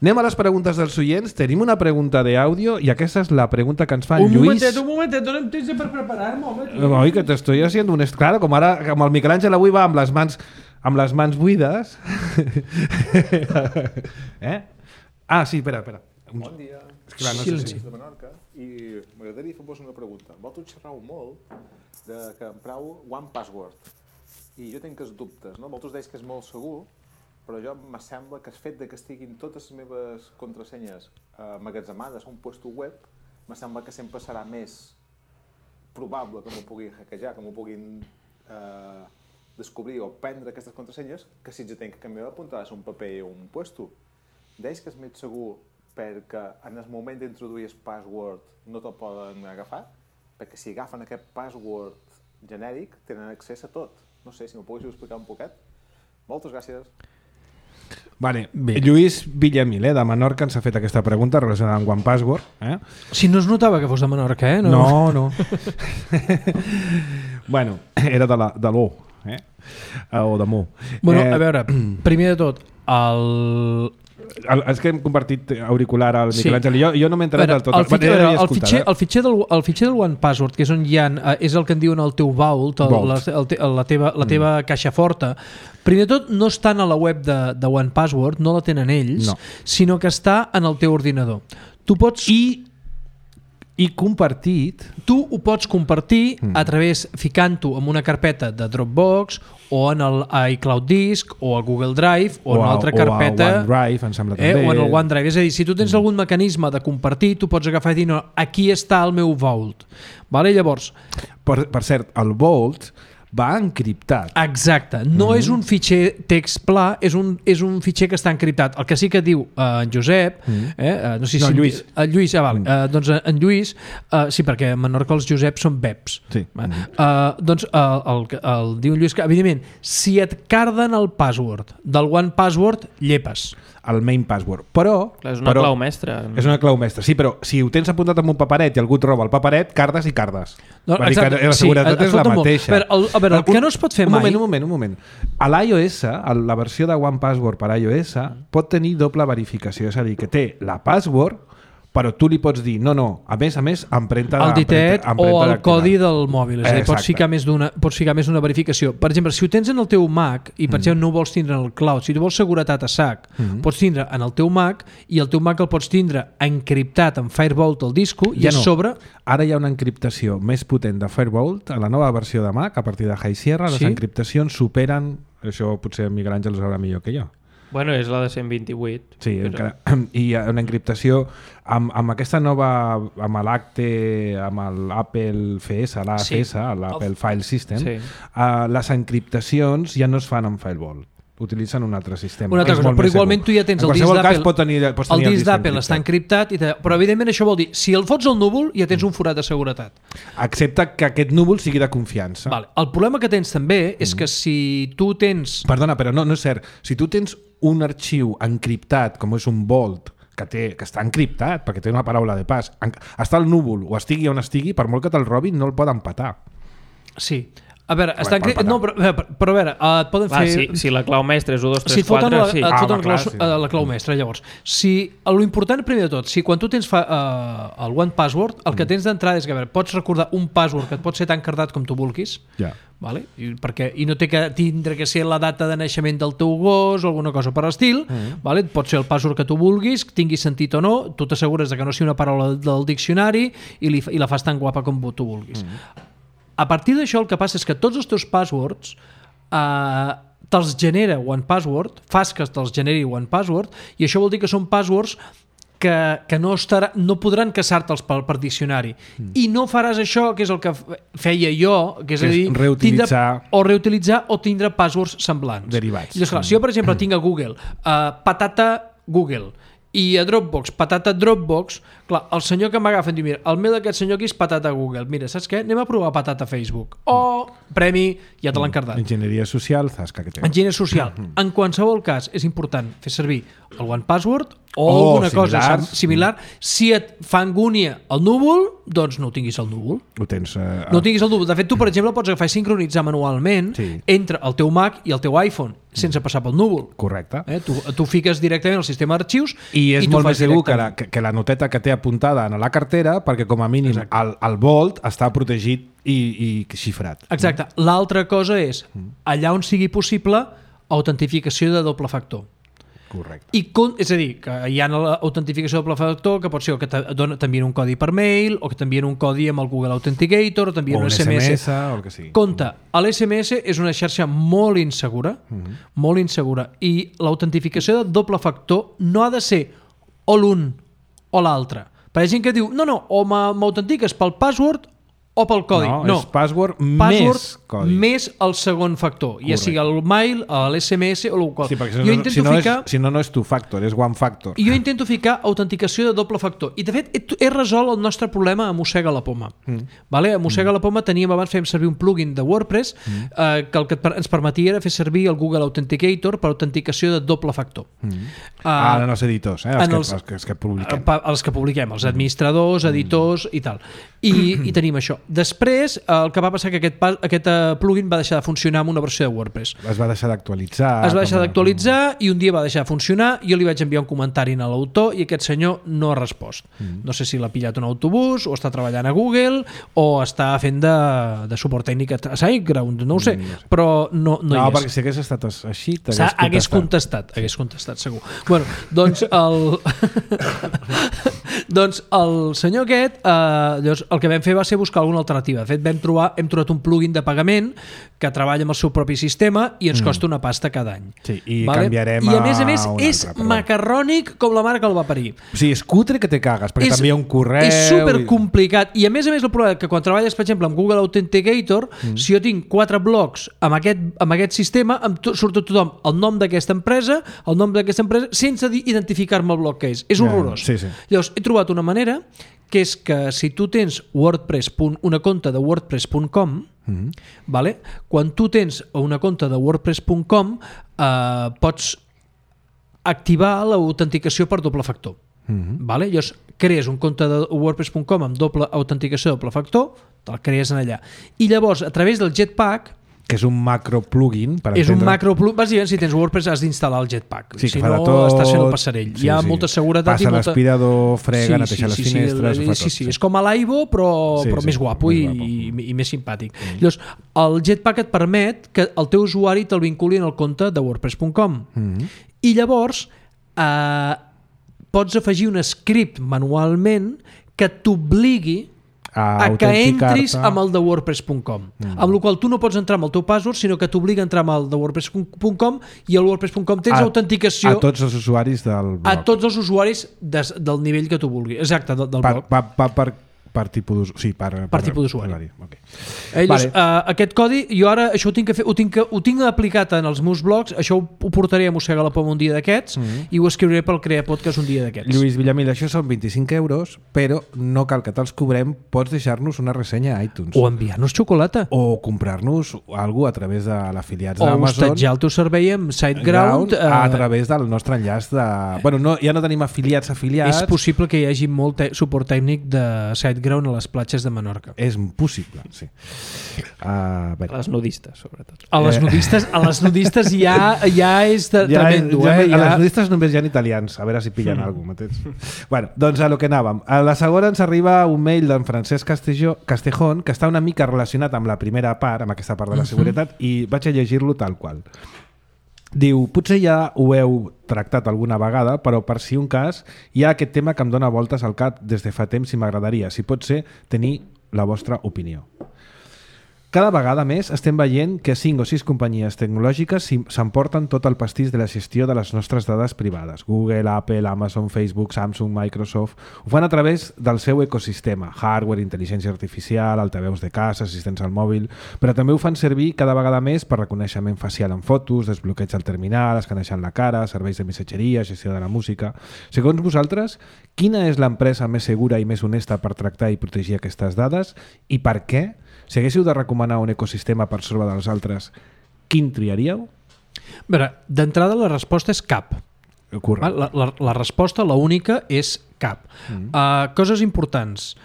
Anem a les preguntes dels oients. Tenim una pregunta d'àudio i aquesta és la pregunta que ens fa en un Lluís. Momentet, un momentet, donem temps per preparar-me, home. Oi, que t'estoy haciendo un... Claro, com ara, com el Miquel Àngel avui va amb les mans, amb les mans buides. eh? Ah, sí, espera, espera. Bon dia. És clar, no Silenci. Soc de Menorca i m'agradaria fer-vos una pregunta. Vosaltres xerrau molt de que emprau One Password i jo tinc els dubtes, no? Vosaltres deis que és molt segur, però jo me sembla que el fet de que estiguin totes les meves contrasenyes emmagatzemades a un puesto web, me sembla que sempre serà més probable que m'ho puguin hackejar, que m'ho puguin eh, descobrir o prendre aquestes contrasenyes, que si jo tinc que canviar apuntades a un paper o un puesto. Deis que és més segur perquè en el moment d'introduir el password no te'l poden agafar? Perquè si agafen aquest password genèric tenen accés a tot. No sé, si m'ho poguéssiu explicar un poquet. Moltes gràcies. Vale. Lluís Villamil, eh, de Menorca, ens ha fet aquesta pregunta relacionada amb One Password. Eh? Si no es notava que fos de Menorca, eh? No, no. no. Bueno, era de la, de l'O, eh? O de Mo. Bueno, eh, a veure, primer de tot, el... El, és que hem compartit auricular al Miquel Sí. Àngel i jo, jo no m'he enterat del tot. El, fitxer, Bueno, el, fitxer, eh? el, fitxer del, el fitxer del One Password, que és on hi ha, eh, és el que en diuen el teu vault, el, Vault. la, el, te- la, teva, la teva mm. caixa forta. Primer de tot, no estan a la web de, de One Password, no la tenen ells, No. sinó que està en el teu ordinador. Tu pots... I, i compartit... Tu ho pots compartir Mm. a través, ficant-ho en una carpeta de Dropbox o en el iCloud Disk o a Google Drive o, o en una a, altra o carpeta a OneDrive, em sembla eh, també. o en el OneDrive. És a dir, si tu tens mm. algun mecanisme de compartir, tu pots agafar i dir, no, aquí està el meu vault. Vale? Llavors, Per, per cert, el Vault va encriptat. exacte, no Mm. és un fitxer text pla, és un, és un fitxer que està encriptat. El que sí que diu eh, en Josep, Mm. eh, eh, no sé No, si... Lluís. Eh, Lluís, ah, vale. Mm. eh, doncs eh, en Lluís, eh, sí, perquè a Menorca els Joseps són Beps. Sí. Va. Uh, doncs uh, el, el diu Lluís que, evidentment, si et carden el password del One Password, llepes. El main password. Però... Clar, és una però, clau mestra. És una clau mestra, sí, però si ho tens apuntat amb un paperet i algú et roba el paperet, cardes i cardes. No, Vull dir exacte, que la seguretat sí, és la escolta molt. mateixa. A veure, el, a veure, el que no es pot fer un mai... Moment, un moment, un moment. A l'iOS, a la versió de One Password per iOS, pot tenir doble verificació, és a dir, que té la password, però tu li pots dir, no, no, a més a més, empremta el ditet empremta, o el dactilar. codi del mòbil, és a dir, pots Exacte. ficar més d'una pots ficar més d'una verificació. Per exemple, si ho tens en el teu Mac i per Mm. exemple no ho vols tindre en el cloud, si tu vols seguretat a sac, Mm. pots tindre en el teu Mac i el teu Mac el pots tindre encriptat en Firebolt al disco i Ja a no. sobre... Ara hi ha una encriptació més potent de Firebolt a la nova versió de Mac, a partir de High Sierra, les Sí? encriptacions superen, això potser Miguel Àngel ho sabrà millor que jo. Bueno, és la de cent vint-i-vuit. Sí, però... encara, i hi ha una encriptació amb, amb aquesta nova, amb l'Acte, amb l'Apple F S, l'A F S, Sí. l'Apple File System, Sí. uh, les encriptacions ja no es fan amb Firewall. Utilitzen un altre sistema. Una altra És cosa, molt però més igualment segur. tu ja tens en el disc qualsevol cas d'Apple. pot tenir, pots El tenir disc d'Apple està encriptat, i te... però evidentment això vol dir, si el fots al núvol ja tens un forat de seguretat. Excepte que aquest núvol sigui de confiança. Vale. El problema que tens també és que si tu tens... Perdona, però no, no és cert. Si tu tens un arxiu encriptat, com és un Vault, que, té, que està encriptat, perquè té una paraula de pas, en, està al núvol o estigui on estigui, per molt que te'l robin, no el poden patar. Sí. A veure, Bueno, està encrip... pot no, però, però, però a veure, uh, et poden Va, fer... si, si la clau mestra és u, dos, si tres, et foten quatre, la, sí. et Ah, foten home, la, clau, clar, sí. eh, la clau mestra, llavors. Si, lo important, primer de tot, si quan tu tens fa, uh, el One Password, el que tens d'entrada és que a veure, pots recordar un password que et pot ser tan cardat com tu vulguis, Ja. vale? I, perquè, i no té que tindre que ser la data de naixement del teu gos o alguna cosa per l'estil, Mm. vale? Pot ser el password que tu vulguis, tingui sentit o no, tu t'assegures de que no sigui una paraula del diccionari i, li, i la fas tan guapa com tu vulguis. Mm. A partir d'això el que passa és que tots els teus passwords eh, te'ls genera One Password, fas que te'ls generi One Password, i això vol dir que són passwords que, que no, estarà, no podran caçar-te'ls per, per diccionari. Mm. I no faràs això, que és el que feia jo, que és, Que a és dir, reutilitzar- tindre, o reutilitzar o tindre passwords semblants. Derivats. Llavors, clar, si jo, per exemple, tinc a Google uh, patata Google i a Dropbox patata Dropbox, Clar, el senyor que m'agafa diu, mira, el mail d'aquest senyor aquí és patata Google. Mira, saps què? Anem a provar patata Facebook. O premi, ja te l'han cardat. Enginyeria social, zasca que té. Enginyeria social. En qualsevol cas, és important fer servir el One Password o Oh, alguna cosa similar. similar. Si et fa angúnia el núvol, doncs no ho tinguis al núvol. Ho tens... Eh, No tinguis el núvol. De fet, tu, per exemple, pots agafar i sincronitzar manualment Sí. entre el teu Mac i el teu iPhone, sense passar pel núvol. Correcte. Eh? Tu, tu fiques directament al sistema d'arxius I és tu molt fas més segur que la, directament. que, que la noteta que té apuntada en la cartera, perquè com a mínim el, el volt està protegit i, i xifrat. Exacte. L'altra cosa és, allà on sigui possible, autentificació de doble factor. Correcte. I con, és a dir, que hi ha l'autentificació de doble factor, que pot ser que t'envien un codi per mail, o que t'envien un codi amb el Google Authenticator, o t'envien O un, un S M S. S M S o el que sigui. Compte, l'S M S és una xarxa molt insegura, Mhm. molt insegura, i l'autentificació de doble factor no ha de ser o l'un o l'altre. Per hi ha gent que diu, no, no, o m'autentiques pel password o pel codi. No, No, és password, password més codi. més el segon factor, ja sigui el mail, l'S M S o el qual. Sí, perquè si jo no, intento si no, ficar... és, si no, no és two factor, és one factor. I jo intento ficar autenticació de doble factor. I, de fet, he, he resolt el nostre problema a Mossega la Poma. Mm. Vale? A Mossega mm. la Poma teníem, abans fèiem servir un plugin de WordPress mm. eh, que el que ens permetia era fer servir el Google Authenticator per autenticació de doble factor. Mm. Uh, ah, en els editors, eh? els, en que, els, els, que, els que publiquem. Pa, els que publiquem, els administradors, editors i tal. I, i tenim això. Després, el que va passar que aquest, aquest plugin va deixar de funcionar amb una versió de WordPress. Es va deixar d'actualitzar. Es va deixar com... d'actualitzar i un dia va deixar de funcionar. Jo li vaig enviar un comentari a l'autor i aquest senyor no ha respost. Mm. No sé si l'ha pillat un autobús o està treballant a Google o està fent de, de suport tècnic a SiteGround, no ho sé, no sé. Però no, no, no hi és. No, perquè si hagués estat així t'hagués contestat. Hagués contestat, hagués contestat, segur. Bueno, doncs el... doncs el senyor aquest, eh, llavors, el que vam fer va ser buscar alguna alternativa. De fet, vam trobar, hem trobat un plugin de pagament que treballa amb el seu propi sistema i ens costa una pasta cada any. Sí, i vale? canviarem I a més a més a és altre, macarrònic com la mare que el va parir. O sigui, és cutre que te cagues, perquè també hi ha un correu... És supercomplicat. I a més a més el problema és que quan treballes, per exemple, amb Google Authenticator, mm. si jo tinc quatre blocs amb aquest, amb aquest sistema, em to, surt a tothom el nom d'aquesta empresa, el nom d'aquesta empresa, sense identificar-me el bloc que és. És horrorós. Ja, sí, sí. Llavors, he trobat una manera que és que si tu tens WordPress, una conta de wordpress punt com, mm-hmm. vale? Quan tu tens una conta de wordpress punt com eh, pots activar l'autenticació per doble factor. Mm-hmm. Vale? Llavors, crees un compte de wordpress punt com amb doble autenticació de doble factor, te'l crees en allà. I llavors, a través del Jetpack, que és un macro plugin per és entendre... un macro plugin, bàsicament si tens WordPress has d'instal·lar el Jetpack, sí, si no tot... estàs fent el passarell, sí, hi ha sí. molta seguretat passa i molta... l'aspirador, frega, sí, neteja sí, les sí, finestres sí, ho fa sí, tot, sí. sí. És com a l'Aibo però, sí, però sí, més guapo, més i, guapo. I, i més simpàtic. Mm. Llavors, el Jetpack et permet que el teu usuari te'l vinculi en el compte de wordpress punt com mm. i llavors eh, pots afegir un script manualment que t'obligui a, a que entris amb el de wordpress punt com, mm. amb la qual tu no pots entrar amb el teu password, sinó que t'obliga a entrar amb el de wordpress punt com i el wordpress punt com tens a, autenticació a tots els usuaris del blog. A tots els usuaris des, del nivell que tu vulguis. Exacte, del, del per, blog. Per, per, per, per tipus d'usuari. Sí, per, per, per tipus d'usuari. Okay. Eh, vale. uh, aquest codi, jo ara això ho tinc, que fer, ho tinc, que, ho tinc aplicat en els meus blogs, això ho, ho portaré a Mossega la Poma un dia d'aquests mm -hmm. i ho escriuré pel Crea Podcast un dia d'aquests. Lluís Villamil, això són vint-i-cinc euros, però no cal que te'ls cobrem, pots deixar-nos una ressenya a iTunes. O enviar-nos xocolata. O comprar-nos alguna a través de l'afiliats d'Amazon. O hostatjar el teu servei amb SiteGround. Uh, a través del nostre enllaç de... Bueno, no, ja no tenim afiliats afiliats. És possible que hi hagi molt te suport tècnic de SiteGround a les platges de Menorca. És possible, sí. Uh, a les nudistes, sobretot. A les nudistes, a les nudistes ja, ja és de, ja, tremendo. Ja, eh? A ja... les nudistes només hi ha italians, a veure si pillen mm. alguna cosa. Bueno, doncs a lo que anàvem. A la segona ens arriba un mail d'en Francesc Castelló, Castejón, que està una mica relacionat amb la primera part, amb aquesta part de la seguretat, mm-hmm. i vaig a llegir-lo tal qual. Diu, potser ja ho heu tractat alguna vegada, però per si un cas hi ha aquest tema que em dóna voltes al cap des de fa temps i m'agradaria, si pot ser, tenir la vostra opinió. Cada vegada més estem veient que cinc o sis companyies tecnològiques s'emporten tot el pastís de la gestió de les nostres dades privades. Google, Apple, Amazon, Facebook, Samsung, Microsoft... Ho fan a través del seu ecosistema, hardware, intel·ligència artificial, altaveus de casa, assistents al mòbil, però també ho fan servir cada vegada més per reconeixement facial en fotos, desbloqueig al terminal, escanejant la cara, serveis de missatgeria, gestió de la música... Segons vosaltres, quina és l'empresa més segura i més honesta per tractar i protegir aquestes dades i per què? Si haguéssiu de recomanar un ecosistema per sobre dels altres, quin triaríeu? A veure, d'entrada la resposta és cap. Correcte. La, la, la resposta, la única, és cap. Mm. Uh, coses importants.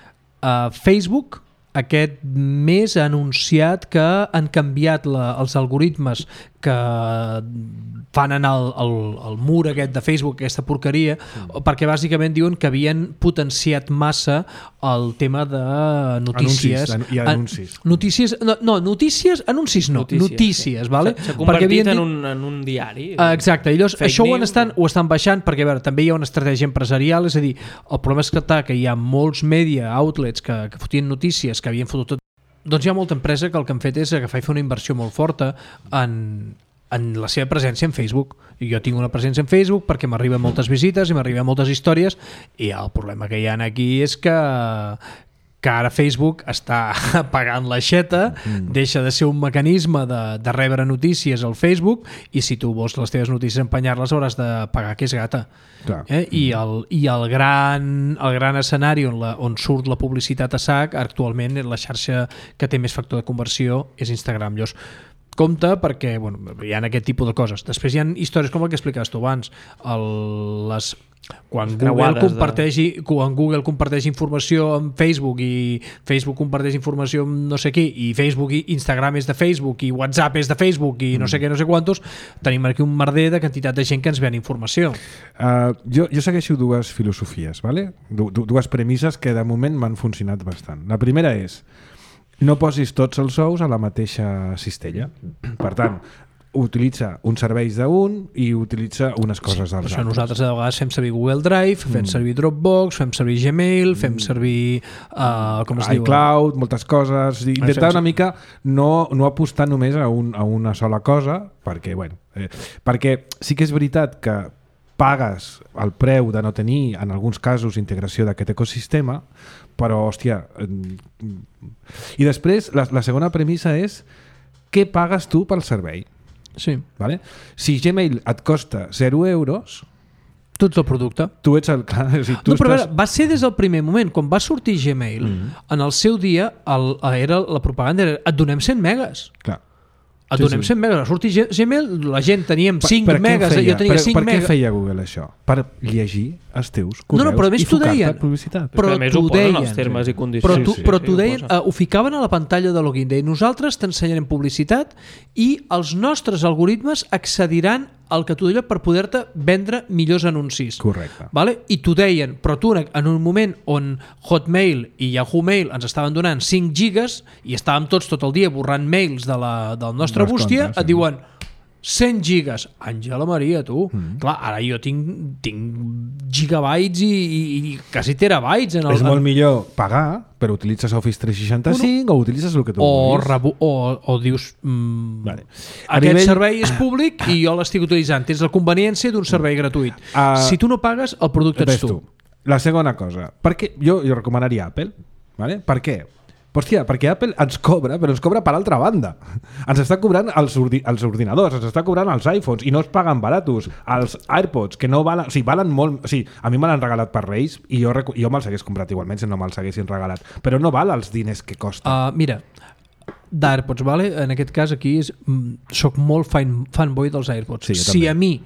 Uh, Facebook aquest mes ha anunciat que han canviat la, els algoritmes que fan anar el, el, el mur aquest de Facebook, aquesta porqueria, mm. perquè bàsicament diuen que havien potenciat massa el tema de notícies. Anuncis, hi ha anuncis. An, notícies, no, no, notícies, anuncis no, notícies, notícies, sí. vale? S'ha convertit en, un, en un diari. Exacte, i llavors això ho estan, ho estan baixant perquè a veure, també hi ha una estratègia empresarial, és a dir, el problema és que, que hi ha molts media outlets que, que fotien notícies, que havien fotut tot. Doncs hi ha molta empresa que el que han fet és agafar i fer una inversió molt forta en, en la seva presència en Facebook. I jo tinc una presència en Facebook perquè m'arriben moltes visites i m'arriben moltes històries i el problema que hi ha aquí és que que ara Facebook està pagant l'aixeta, mm. deixa de ser un mecanisme de, de rebre notícies al Facebook i si tu vols les teves notícies empenyar-les hauràs de pagar que és gata. Eh? I, el, i el, gran, el gran escenari on, la, on surt la publicitat a sac actualment la xarxa que té més factor de conversió és Instagram. Llavors, compte perquè bueno, hi ha aquest tipus de coses. Després hi ha històries com el que explicaves tu abans, el, les... Quan Google, comparteix, de... quan Google comparteix informació amb Facebook i Facebook comparteix informació amb no sé qui i Facebook i Instagram és de Facebook i WhatsApp és de Facebook i no sé què, no sé quantos, tenim aquí un merder de quantitat de gent que ens ven informació. Uh, jo, jo segueixo dues filosofies, ¿vale? Du, du, dues premisses que de moment m'han funcionat bastant. La primera és no posis tots els ous a la mateixa cistella. Per tant, utilitza uns serveis d'un i utilitza unes coses sí, dels això altres. Nosaltres a vegades fem servir Google Drive, fem mm. servir Dropbox, fem servir Gmail, fem servir uh, com es diu? iCloud, moltes coses. Intentar una mica no, no apostar només a, un, a una sola cosa, perquè, bueno, eh, perquè sí que és veritat que pagues el preu de no tenir, en alguns casos, integració d'aquest ecosistema, però, hòstia... Eh, I després, la, la segona premissa és què pagues tu pel servei? Sí. Vale? Si Gmail et costa zero euros... Tu ets el producte. Tu ets el... Clar, o sigui, tu no, però estàs... veure, va ser des del primer moment. Quan va sortir Gmail, mm. en el seu dia, el, era, la propaganda era et donem cent megas. Clar. Et donem sí, sí. cent megas. Va sortir Gmail, la gent teníem cinc per, per megas, feia? jo tenia per, cinc per megas. Per què feia Google això? Per llegir els teus correus no, no, però i focar-te Però, publicitat. però t'ho deien. Els termes i condicions. Però, tu, sí, sí, però sí, t'ho deien, uh, ho ficaven a la pantalla de login. Deien, nosaltres t'ensenyarem publicitat i els nostres algoritmes accediran al que tu deia per poder-te vendre millors anuncis. Correcte. Vale? I t'ho deien, però tu en un moment on Hotmail i Yahoo Mail ens estaven donant cinc gigas i estàvem tots tot el dia borrant mails de la, del nostre Les bústia, comptes, et diuen cent gigas. Àngela Maria, tu. Mm. Clar, ara jo tinc, tinc gigabytes i, i, i quasi terabytes. En el, és molt millor pagar, però utilitzes Office tres seixanta-cinc bueno, o utilitzes el que tu o vulguis. Rebu, o, o dius mm, vale. aquest nivell... servei és públic i jo l'estic utilitzant. Tens la conveniència d'un servei gratuït. Uh, si tu no pagues, el producte ets tu. tu. La segona cosa. Perquè jo, jo recomanaria Apple. Vale? Per què? Hòstia, perquè Apple ens cobra, però ens cobra per altra banda. Ens està cobrant els, ordi els ordinadors, ens està cobrant els iPhones i no es paguen baratos. Els AirPods, que no valen... O sigui, valen molt... O sigui, a mi me l'han regalat per Reis i jo, jo me'ls hagués comprat igualment si no me'ls haguessin regalat. Però no val els diners que costa. Uh, mira, d'AirPods, vale? En aquest cas aquí és, soc molt fan, fanboy dels AirPods. Sí, si a mi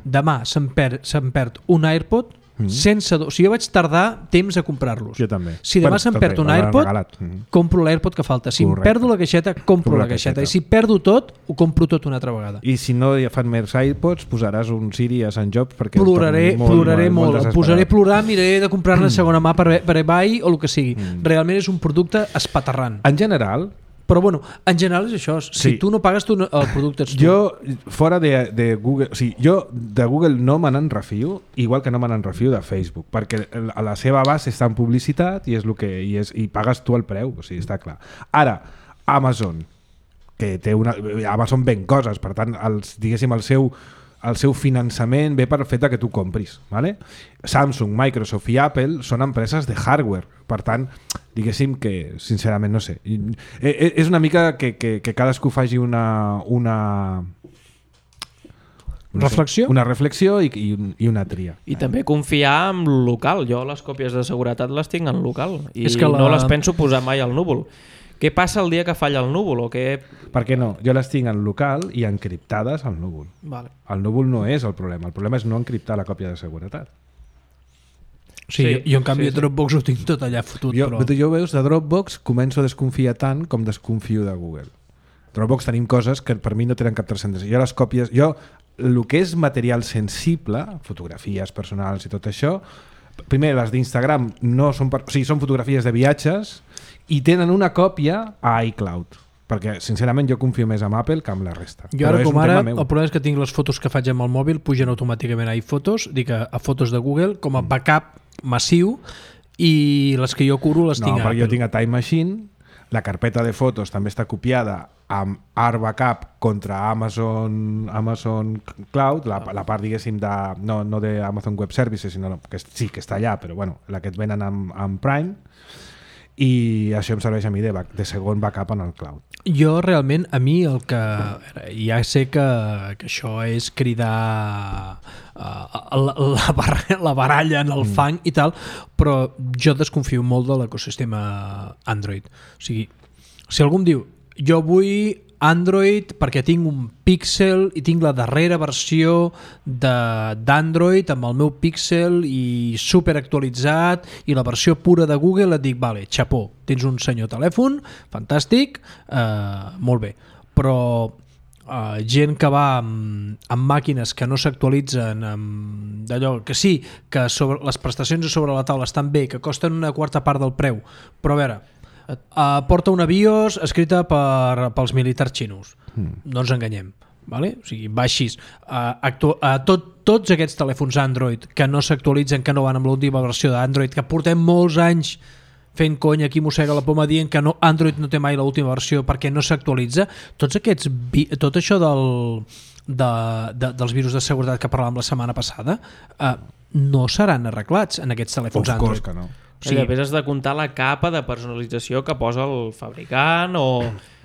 demà se'm perd, se'm perd un AirPod, Mm. sense do... O sigui, jo vaig tardar temps a comprar-los. Jo també. Si demà bueno, se'm perd un AirPod, mm. compro l'AirPod que falta. Si Correcte. Em perdo la caixeta, compro la, la caixeta. I si perdo tot, ho compro tot una altra vegada. I si no hi fan més AirPods, posaràs un Siri a Sant Job perquè... Ploraré, molt, ploraré molt. molt, molt posaré a plorar, miraré de comprar-ne mm. segona mà per, per eBay o el que sigui. Mm. Realment és un producte espaterrant. En general... Però bueno, en general és això. Si sí. tu no pagues, tu no, el producte ets tu. Jo, fora de, de Google... O sigui, jo de Google no me n'en refio, igual que no me n'en refio de Facebook, perquè a la seva base està en publicitat i és el que i, és, i pagues tu el preu, o sigui, està clar. Ara, Amazon, que té una... Amazon ven coses, per tant, els, diguéssim, el seu, el seu finançament ve per fet que tu compris. ¿Vale? Samsung, Microsoft i Apple són empreses de hardware. Per tant, diguéssim que, sincerament, no sé. És una mica que, que, que cadascú faci una... una no reflexió? Sé, una reflexió i, i, i una tria. I eh? també confiar en local. Jo les còpies de seguretat les tinc en local i és que la... no les penso posar mai al núvol. Què passa el dia que falla el núvol? O què... Per què no? Jo les tinc en local i encriptades al núvol. Vale. El núvol no és el problema. El problema és no encriptar la còpia de seguretat. Sí, sí, jo en canvi sí, sí. Dropbox ho tinc tot allà fotut. Jo, però... jo veus, de Dropbox començo a desconfiar tant com desconfio de Google. Dropbox tenim coses que per mi no tenen cap transcendència. Jo les còpies... Jo, el que és material sensible, fotografies personals i tot això, primer, les d'Instagram no són, per, o sigui, són fotografies de viatges i tenen una còpia a iCloud. Perquè, sincerament, jo confio més en Apple que en la resta. Jo ara, com ara, el problema és que tinc les fotos que faig amb el mòbil, pugen automàticament a iPhotos, dic a, a fotos de Google, com a backup massiu, i les que jo curo les no, tinc a Apple. No, perquè jo tinc a Time Machine, la carpeta de fotos també està copiada amb Art Backup contra Amazon, Amazon Cloud, la, la part, diguéssim, de, no, no de Amazon Web Services, sinó que sí que està allà, però bueno, la que et venen amb, amb Prime, i això em serveix a mi de, de segon backup en el cloud. Jo realment, a mi el que... Ja sé que, que això és cridar uh, la, la, barra, la baralla en el mm. fang i tal, però jo desconfio molt de l'ecosistema Android. O sigui, si algú em diu jo vull Android perquè tinc un Pixel i tinc la darrera versió d'Android amb el meu Pixel i super actualitzat i la versió pura de Google, et dic, vale, xapó, tens un senyor telèfon, fantàstic, eh, molt bé, però eh, gent que va amb, amb màquines que no s'actualitzen, d'allò que sí, que sobre, les prestacions a sobre la taula estan bé, que costen una quarta part del preu, però a veure, Uh, porta una BIOS escrita per, pels militars xinos. Mm. No ens enganyem. Vale? O sigui, va així. Uh, actu uh, tot, tots aquests telèfons Android que no s'actualitzen, que no van amb l'última versió d'Android, que portem molts anys fent conya, aquí mossega la poma dient que no, Android no té mai l'última versió perquè no s'actualitza, tots aquests tot això del, de, de, dels virus de seguretat que parlàvem la setmana passada uh, no seran arreglats en aquests telèfons Android. Of course que no. Sí. Després has de comptar la capa de personalització que posa el fabricant o,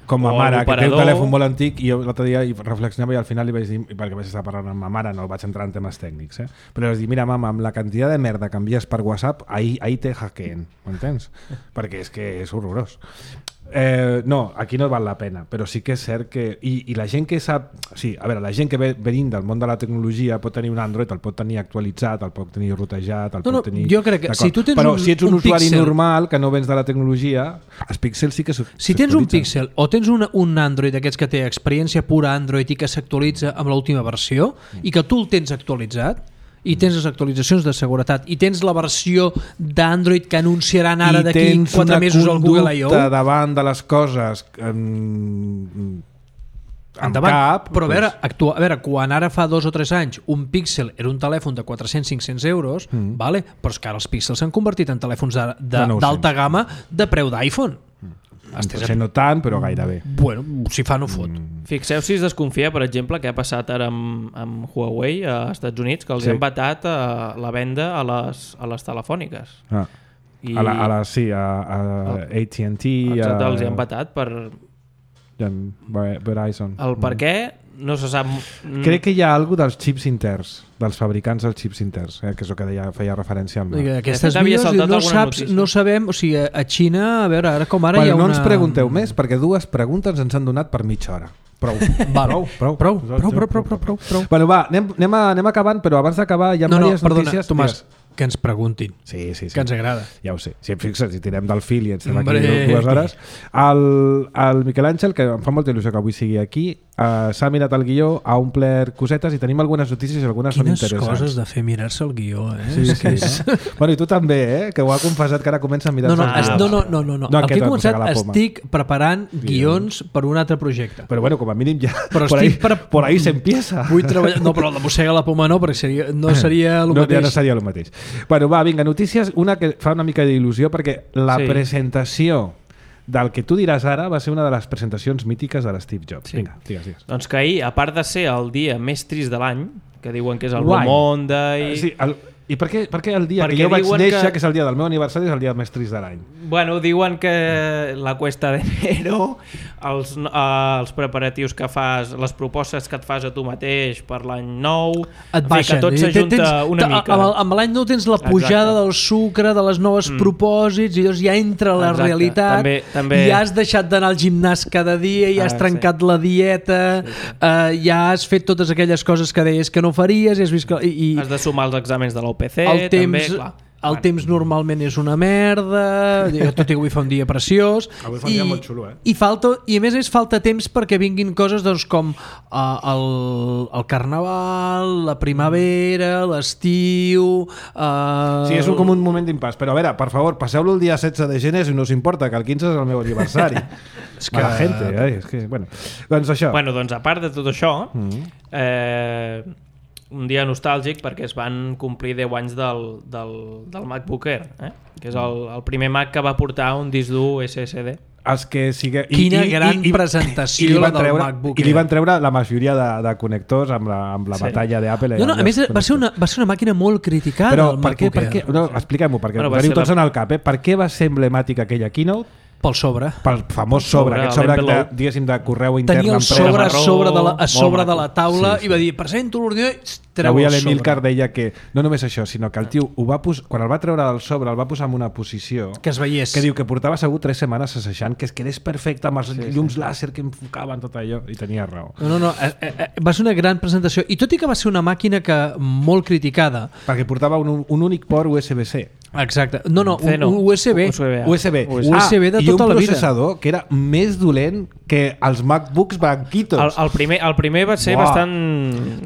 com a o mare, que té un telèfon molt antic i jo l'altre dia reflexionava i al final li vaig dir, perquè vaig estar parlant amb ma mare, no vaig entrar en temes tècnics, eh? Però vaig dir, mira mama, amb la quantitat de merda que envies per WhatsApp, ahir, ahir te hackeen, m'entens? Perquè és que és horrorós. Eh, no, aquí no val la pena, però sí que és cert que... I, i la gent que sap... Sí, a veure, la gent que ve venint del món de la tecnologia pot tenir un Android, el pot tenir actualitzat, el pot tenir rotejat, el no, pot tenir... No, jo crec que si tu tens però un, si ets un, un usuari pixel, normal que no vens de la tecnologia, els píxels sí que s'actualitzen. Si tens un píxel o tens un, un Android d'aquests que té experiència pura Android i que s'actualitza amb l'última versió mm. i que tu el tens actualitzat, i tens les actualitzacions de seguretat i tens la versió d'Android que anunciaran ara d'aquí quatre mesos al Google I O, i tens una conducta davant de les coses en, en cap, però a veure, actua, a veure, quan ara fa dos o tres anys un Pixel era un telèfon de quatre-cents a cinc-cents euros, mm. vale? Però és que ara els Pixels s'han convertit en telèfons d'alta gamma de preu d'iPhone. Potser no tant, però gairebé. Bueno, si fa no fot. Mm. Fixeu si es desconfia, per exemple, què ha passat ara amb, amb Huawei a Estats Units, que els sí. han vetat a la venda a les, a les telefòniques. Ah. I... A la, a la, sí, a, a A T and T. Exacte, a... els hi han vetat per... Verizon. El per què no se sap... Crec que hi ha alguna dels xips interns, dels fabricants dels xips interns, eh, que és el que deia, feia referència al... Aquestes vies no saps, no sabem, o sigui, a Xina, a veure, ara com ara bueno, hi ha no una... ens pregunteu més, perquè dues preguntes ens han donat per mitja hora. Prou. Va, prou, prou, prou, prou, prou, prou, prou, prou. Bueno, va, anem, anem, a, anem acabant, però abans d'acabar hi ha no, diverses no, perdona, notícies. Tomàs, que ens preguntin, sí, sí, sí. que ens agrada. Ja ho sé, si em fixes, si tirem del fil i ens estem aquí dues hores. El, el Miquel Àngel, que em fa molta il·lusió que avui sigui aquí, uh, s'ha mirat el guió, ha omplert cosetes i tenim algunes notícies i algunes Quines són interessants. Quines coses de fer mirar-se el guió, eh? Sí, sí, sí, no? Bueno, i tu també, eh? Que ho ha confessat que ara comença a mirar-se no, no, el guió. No, no, no, no, no. no el que he començat estic preparant guions per un altre projecte. Però bueno, com a mínim ja... Però por, ahí, per... por ahí se empieza. Vull treballar... No, però la mossega la poma no, perquè seria... no seria el no, mateix. Ja no seria el mateix. Bueno, va, vinga, notícies. Una que fa una mica d'il·lusió perquè la sí. presentació del que tu diràs ara va ser una de les presentacions mítiques de l'Steve Jobs. Sí. Vinga, digues, digues. Doncs que ahir, a part de ser el dia més trist de l'any, que diuen que és el Why? Blue Monday... Uh, sí, el, I per què, per què el dia Perquè que jo vaig néixer, que... que... que és el dia del meu aniversari, és el dia més trist de l'any? Bueno, diuen que la cuesta d'enero, els, eh, els preparatius que fas, les propostes que et fas a tu mateix per l'any nou, et baixen. que tot s'ajunta tens, una mica. Amb, amb l'any nou tens la pujada Exacte. del sucre, de les noves mm. propòsits, i llavors ja entra la Exacte. realitat, també, també... i ja has deixat d'anar al gimnàs cada dia, ja has ah, trencat sí. la dieta, sí, sí. Eh, ja has fet totes aquelles coses que deies que no faries, i has vist que... I, i... Has de sumar els exàmens de l'U P C, el temps, també, clar. El temps normalment és una merda, tot i que avui fa un dia preciós. Avui fa un i, dia molt xulo, eh? I, falta, i a més és falta temps perquè vinguin coses doncs, com uh, el, el carnaval, la primavera, l'estiu... Uh... Sí, és un, com un moment d'impàs. Però a veure, per favor, passeu-lo el dia setze de gener si no us importa, que el quinze és el meu aniversari. És que... Mala gente, eh? És que, bueno. Doncs això. Bueno, doncs a part de tot això, mm. eh, un dia nostàlgic perquè es van complir deu anys del, del, del MacBook Air, eh? Que és el, el primer Mac que va portar un disc dur S S D. Els que sigue... I, Quina i, gran i, i, presentació i la del treure, MacBook Air. I li van treure la majoria de, de connectors amb la, amb la sí. batalla d'Apple. No, no, a més va ser, una, va ser una màquina molt criticada. Però el per què? Per què? No, expliquem-ho, perquè bueno, veniu tots la... en el cap. Eh? Per què va ser emblemàtica aquella keynote? Pel sobre. Pel famós sobre, sobre aquest sobre de, diguéssim, de correu intern. Tenia el sobre a sobre de la, a sobre de la taula sí, sí. i va dir, presento l'ordinador, treu avui el sobre. Avui l'Emilcar deia que, no només això, sinó que el tio ho va pos... quan el va treure del sobre el va posar en una posició que es veiés. Que diu que portava segur tres setmanes assajant que es quedés perfecte amb els sí, llums sí. làser que enfocaven tot allò, i tenia raó. No, no, no, eh, eh, va ser una gran presentació, i tot i que va ser una màquina que molt criticada... Perquè portava un, un únic port U S B C. Exacte. No, no, un, un U S B. U S B. U S B, U S B de tota la vida. I un processador que era més dolent que els MacBooks banquitos. El, el, primer, el primer va ser Uah. bastant...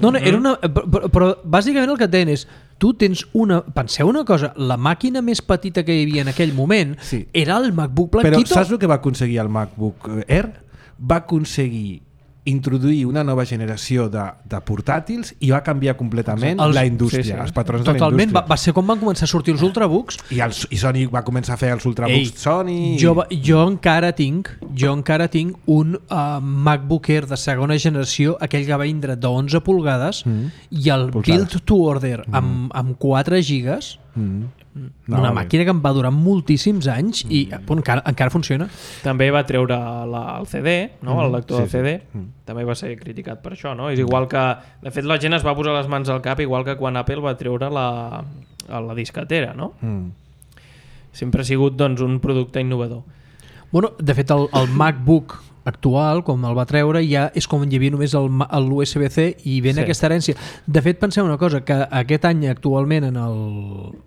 No, no, era una... Però, però bàsicament el que et deien és tu tens una... Penseu una cosa, la màquina més petita que hi havia en aquell moment sí. era el MacBook blanquito. Però saps el que va aconseguir el MacBook Air? Va aconseguir introduir una nova generació de, de portàtils i va canviar completament els, la indústria, sí, sí. els patrons Totalment, de la indústria. Va, va ser quan van començar a sortir els Ultrabooks. I, els, i Sony va començar a fer els Ultrabooks Ei, Sony. Jo, jo encara tinc jo encara tinc un uh, MacBook Air de segona generació, aquell que va vindre d'onze polgades mm. i el Pulsades. build to order mm. amb, amb quatre gigas mm. No, una màquina que em va durar moltíssims anys mm. i bon, encara, encara funciona. També va treure la, el C D, no? Mm. el lector sí, del C D, sí. mm. també va ser criticat per això, no? És igual que, de fet, la gent es va posar les mans al cap igual que quan Apple va treure la, la disquetera, no? Mm. Sempre ha sigut doncs, un producte innovador. Bueno, de fet, el, el MacBook actual, com el va treure, ja és com hi havia només l'U S B C i ven sí. aquesta herència. De fet, penseu una cosa, que aquest any actualment en el,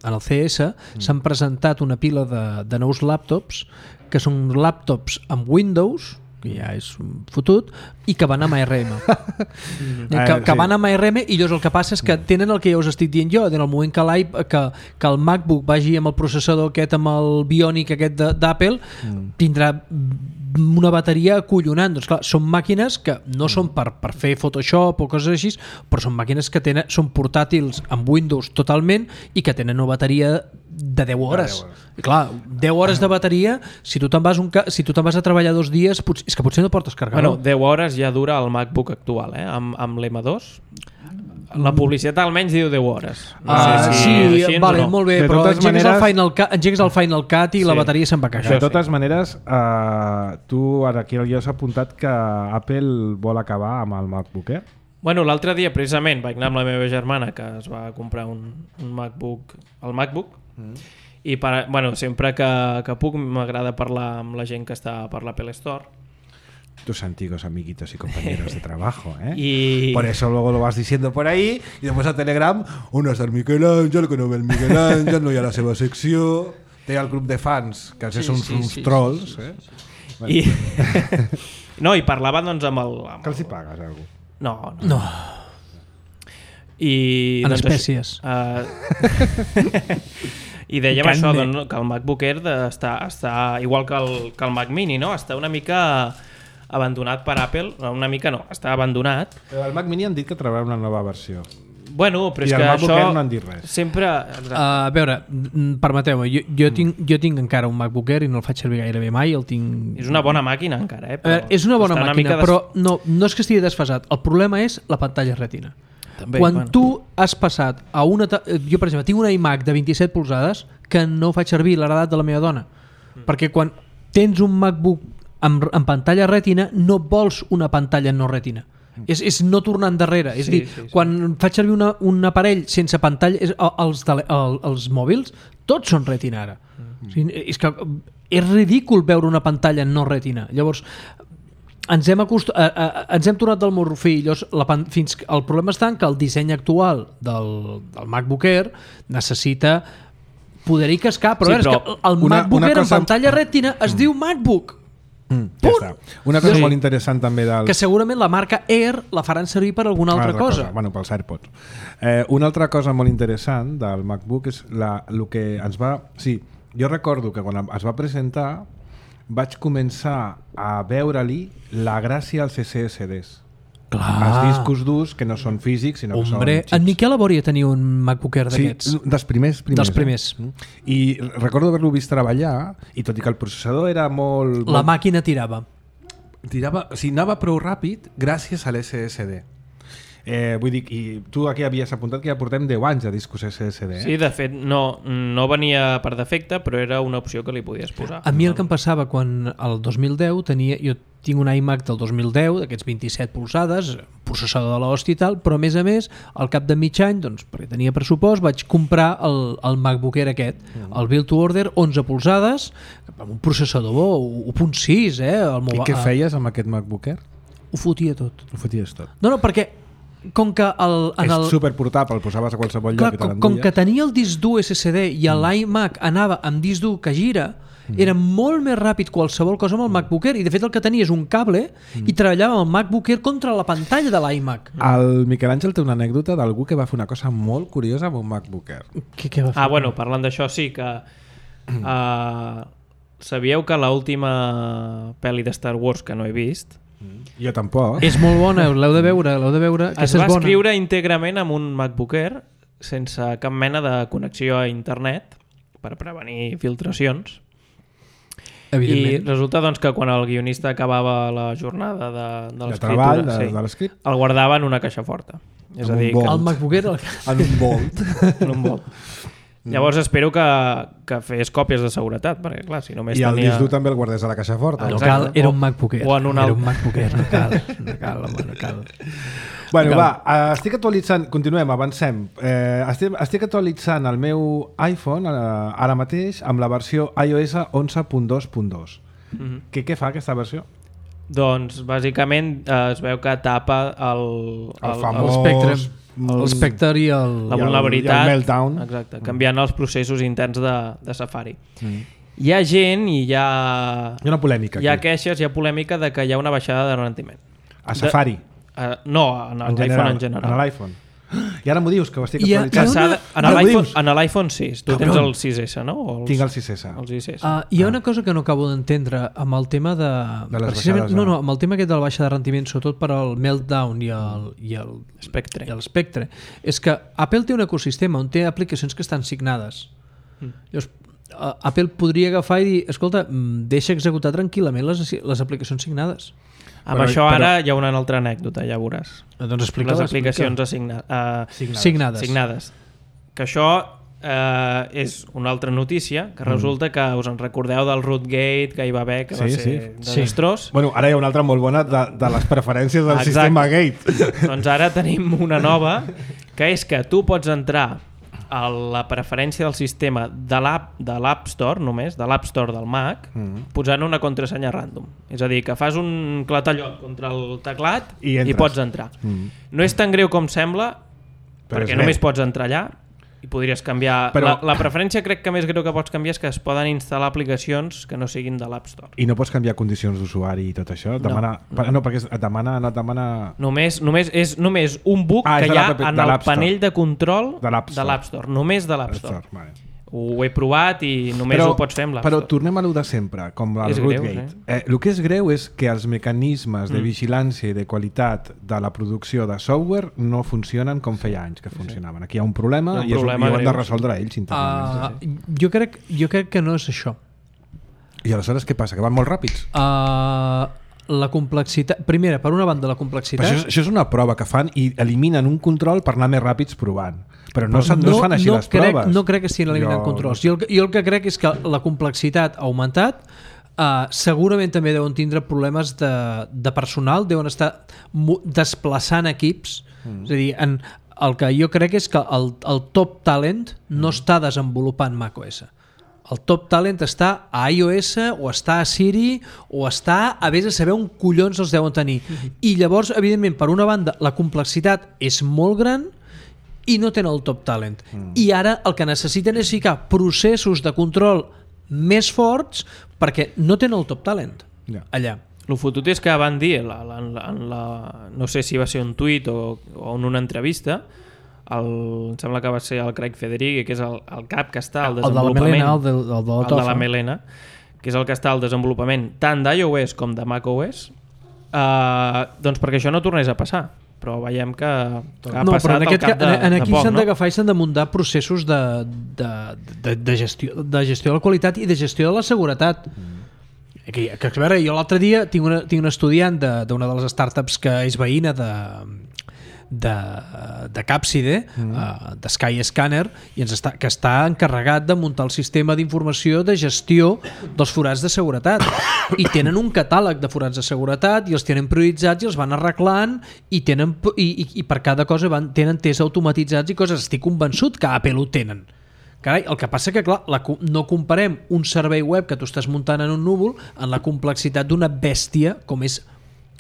en el C S mm. s'han presentat una pila de, de nous laptops que són laptops amb Windows, que ja és fotut, i que van amb A R M. que, que van amb A R M i llavors el que passa és que tenen el que ja us estic dient jo, en el moment que, que, que el MacBook vagi amb el processador aquest, amb el Bionic aquest d'Apple, mm. tindrà una bateria acollonant. Doncs clar, són màquines que no són per, per fer Photoshop o coses així, però són màquines que tenen, són portàtils amb Windows totalment i que tenen una bateria de deu hores. I clar, deu hores de bateria, si tu te'n vas, un ca... si tu te'n vas a treballar dos dies, potser... és que potser no portes carregador. Bueno, deu hores ja dura el MacBook actual, eh? amb, amb l'M dos. La publicitat almenys diu deu hores. No ah, sé si sí, així, vale, no. molt bé, de però engegues, maneres... el Final Cut, engegues el Final Cut i sí. la bateria se'n va cagar. De totes sí. maneres, uh, tu ara aquí ja has apuntat que Apple vol acabar amb el MacBook Air. Bueno, l'altre dia precisament vaig anar amb la meva germana que es va comprar un, un MacBook, el MacBook, mm. i per, bueno, sempre que, que puc m'agrada parlar amb la gent que està per l'Apple Store. Tus antiguos amiguitos y compañeros de trabajo, ¿eh? Y... Por eso luego lo vas diciendo por ahí y después a Telegram, on està el Miquel Àngel, que no ve el Miquel Àngel, no hi ha la seva secció, té el grup de fans, que sí, són sí, uns sí, trolls, sí, sí, sí. eh? Bueno. I... no, i parlava doncs amb el... Amb que els hi pagues, algú? No, no. no. I, en doncs, espècies. Uh... I dèiem Canne. això, doncs, que el MacBook Air està, està igual que el, que el Mac Mini, no? Està una mica abandonat per Apple, una mica no, està abandonat. Però el Mac Mini han dit que traurà una nova versió. Bueno, però és I que el MacBook això Air no han dit res. sempre... Uh, a veure, mm, permeteu-me, jo, jo, tinc, jo tinc encara un MacBook Air i no el faig servir gairebé mai, el tinc... És una bona màquina encara, eh? A veure, és una bona està màquina, des- però no, no és que estigui desfasat. El problema és la pantalla retina. També, Quan bueno. tu has passat a una... ta- Jo, per exemple, tinc una iMac de vint-i-set polzades que no faig servir l'heredat de la meva dona. Mm. Perquè quan tens un MacBook amb, amb pantalla retina, no vols una pantalla no retina. Mm. És, és no tornar endarrere. És Sí, dir, sí, sí. quan faig servir una, un aparell sense pantalla, és, els, tele, el, els mòbils, tots són retina ara. Mm. O sigui, és que és ridícul veure una pantalla no retina. Llavors, ens hem, acost... eh, eh, ens hem tornat del morrofí. Llavors, la pan... fins que... el problema està en que el disseny actual del, del MacBook Air necessita poder-hi cascar, però, Sí, sí, però... però el una- MacBook una Air cosa- en pantalla retina es diu MacBook, Mm, ja Punt. està. Una cosa Sí. molt interessant també del... que segurament la marca Air la faran servir per alguna altra, Una cosa. Bueno, pels AirPods. Eh, una altra cosa molt interessant del MacBook és la, el que ens va... Sí, jo recordo que quan es va presentar vaig començar a veure-li la gràcia als S S Ds. Clar. Els discos durs que no són físics, sinó que Hombre, són en Miquel Aboria tenia un MacBook Air Sí, d'aquests. dels primers, primers. Dels primers. Eh? I recordo haver-lo vist treballar, i tot i que el processador era molt... La molt màquina tirava. tirava, o sigui, anava prou ràpid gràcies a l'S S D. Eh, vull dir, i tu aquí havies apuntat que ja portem deu anys de discos S S D. Eh? Sí, de fet, no, no venia per defecte, però era una opció que li podies posar. A mi el que em passava quan el dos mil deu tenia, jo tinc un iMac del dos mil deu, d'aquests vint-i-set polzades, processador de l'hòstia i tal, però a més a més, al cap de mig any, doncs, perquè tenia pressupost, vaig comprar el, el MacBook Air aquest, el Build to Order, onze polzades, amb un processador bo, u punt sis, eh? El I mova- què feies amb aquest MacBook Air? Ho fotia tot. Ho foties tot. No, no, perquè com que el, en És el, superportable, el posaves a qualsevol clar, lloc i te com, com l'enduies. que tenia el disc dur S S D i l'iMac anava amb disc dur que gira, era molt més ràpid qualsevol cosa amb el MacBook Air, i de fet el que tenia és un cable i treballava amb el MacBook Air contra la pantalla de l'iMac. El Miquel Àngel té una anècdota d'algú que va fer una cosa molt curiosa amb un MacBook Air. Què, què va fer? Ah, bueno, parlant d'això, sí que... Uh, sabíeu que l'última pel·li de Star Wars que no he vist Jo tampoc. És molt bona, l'heu de veure, l'heu de veure. es Aquesta va és bona. escriure íntegrament amb un MacBook Air sense cap mena de connexió a internet per prevenir filtracions. I Evidentment. resulta doncs, que quan el guionista acabava la jornada de, de De l'escriptura, treball, de, sí, de l'escrit. el guardava en una caixa forta. És Amb a un dir, bol. que, El MacBook Air... El... En un volt. en un bol. Llavors espero que, que fes còpies de seguretat, perquè clar, si només I el tenia... disc dur també el guardés a la caixa forta. No no? Exacte. cal, era O- un MacBook Air. o en un Era alt- un MacBook Air, no cal. No cal, home, no cal. Bueno, Cal. va, eh, estic actualitzant, continuem, avancem. Eh, estic, estic actualitzant el meu iPhone eh, ara mateix amb la versió iOS onze punt dos punt dos. Mhm. Què, què fa aquesta versió? Doncs bàsicament eh, es veu que tapa el, El El famós- Spectre, Mm. el Spectre i el... la i el- vulnerabilitat, i el meltdown. exacte, canviant els processos interns de, de Safari. Mm. Hi ha gent i hi ha, Hi ha una polèmica hi ha aquí. queixes, hi ha polèmica de que hi ha una baixada de rendiment. A Safari, Uh, no, en en l'iPhone general. en general. En l'iPhone. I ara m'ho dius, que ho estic Hi ha- Que actualitzant. s'ha de, en Ara m'ho l'iPhone dius. en l'iPhone sis. Tu tens Cabron. el sis essa, no? O els, Tinc el sis essa. el sis essa. Uh, hi ha una cosa que no acabo d'entendre amb el tema de... De les precisament- baixades, no, no? no, amb el tema aquest de la baixa de rendiment, sobretot per al Meltdown i el, i el, Spectre. i el Spectre, és que Apple té un ecosistema on té aplicacions que estan signades. Mm. Llavors, uh, Apple podria agafar i dir, escolta, mm, deixa executar tranquil·lament les, les aplicacions signades. Amb Però- això però- ara hi ha una altra anècdota, ja veuràs. Eh, Doncs explica Les aplicacions assigna, uh, Signades. signades. signades. Que això eh, és una altra notícia, que resulta que us en recordeu del Rootgate que hi va haver, que va Sí, ser sí. desastrós. Bueno, ara hi ha una altra molt bona de, de les preferències del Exacte. sistema Gate. Doncs ara tenim una nova, que és que tu pots entrar a la preferència del sistema de l'App de l'App Store, només, de l'App Store del Mac, Mm. posant una contrasenya random. És a dir, que fas un clatallot contra el teclat I i, entres. pots entrar. Mm. No és tan greu com sembla, Però perquè és només greu. pots entrar allà i podries canviar... Però- La, la preferència crec que més greu que pots canviar és que es poden instal·lar aplicacions que no siguin de l'App Store. I no pots canviar condicions d'usuari i tot això? Demana, no. no, perquè et demana, no et demana... Només, només, és només un bug Ah, és que de hi ha l'app- en de el l'App Store. panell de control De l'App de Store. l'App Store, només de l'App Store. Vale. ho he provat i només però, ho pots fer amb l'App Però Store. tornem a lo de sempre, com el Rootgate. Eh? Eh, el que és greu és que els mecanismes de vigilància i de qualitat de la producció de software no funcionen com feia anys que funcionaven. Aquí hi ha un problema, un i, és, problema i ho han de greu, resoldre ells internament. Uh, jo, crec, jo crec que no és això. I aleshores què passa? Que van molt ràpids? Uh, la complexitat... Primera, per una banda, la complexitat... Això és, això és una prova que fan i eliminen un control per anar més ràpids provant. Però no, no, no es fan així no les crec, proves. No crec que estiguin eliminant jo... controls. Jo el, jo el que crec és que la complexitat ha augmentat. Uh, segurament també deuen tindre problemes de, de personal, deuen estar desplaçant equips. Mm. És a dir, en, el que jo crec és que el, el top talent no mm. està desenvolupant macOS. El top talent està a iOS o està a Siri o està a vés a saber on collons els deuen tenir. Mm-hmm. I llavors, evidentment, per una banda, la complexitat és molt gran i no tenen el top talent. Mm. I ara el que necessiten és ficar processos de control més forts perquè no tenen el top talent yeah. allà. El fotut és que van dir, la, la, la, la, no sé si va ser un tuit o, o en una entrevista, el, em sembla que va ser el Craig Federighi, que és el, el cap que està al desenvolupament, el de la Melena, el de, el de, la el de la Melena, que és el que està al desenvolupament tant d'iOS com de macOS, eh, doncs perquè això no tornés a passar. Però veiem que, que ha no, passat al cap de, en aquí de poc, s'han no? d'agafar i s'han de muntar processos de, de, de, de, gestió, de gestió de la qualitat i de gestió de la seguretat. Mm. Que, que, a veure, jo l'altre dia tinc, una, tinc un estudiant d'una de, de les startups que és veïna de, de, de Capside, mm. uh, de Sky Scanner, i ens està, que està encarregat de muntar el sistema d'informació de gestió dels forats de seguretat. I tenen un catàleg de forats de seguretat i els tenen prioritzats i els van arreglant i, tenen, i, i, i per cada cosa van, tenen tests automatitzats i coses. Estic convençut que a Apple ho tenen. Carai, el que passa que clar, la, no comparem un servei web que tu estàs muntant en un núvol en la complexitat d'una bèstia com és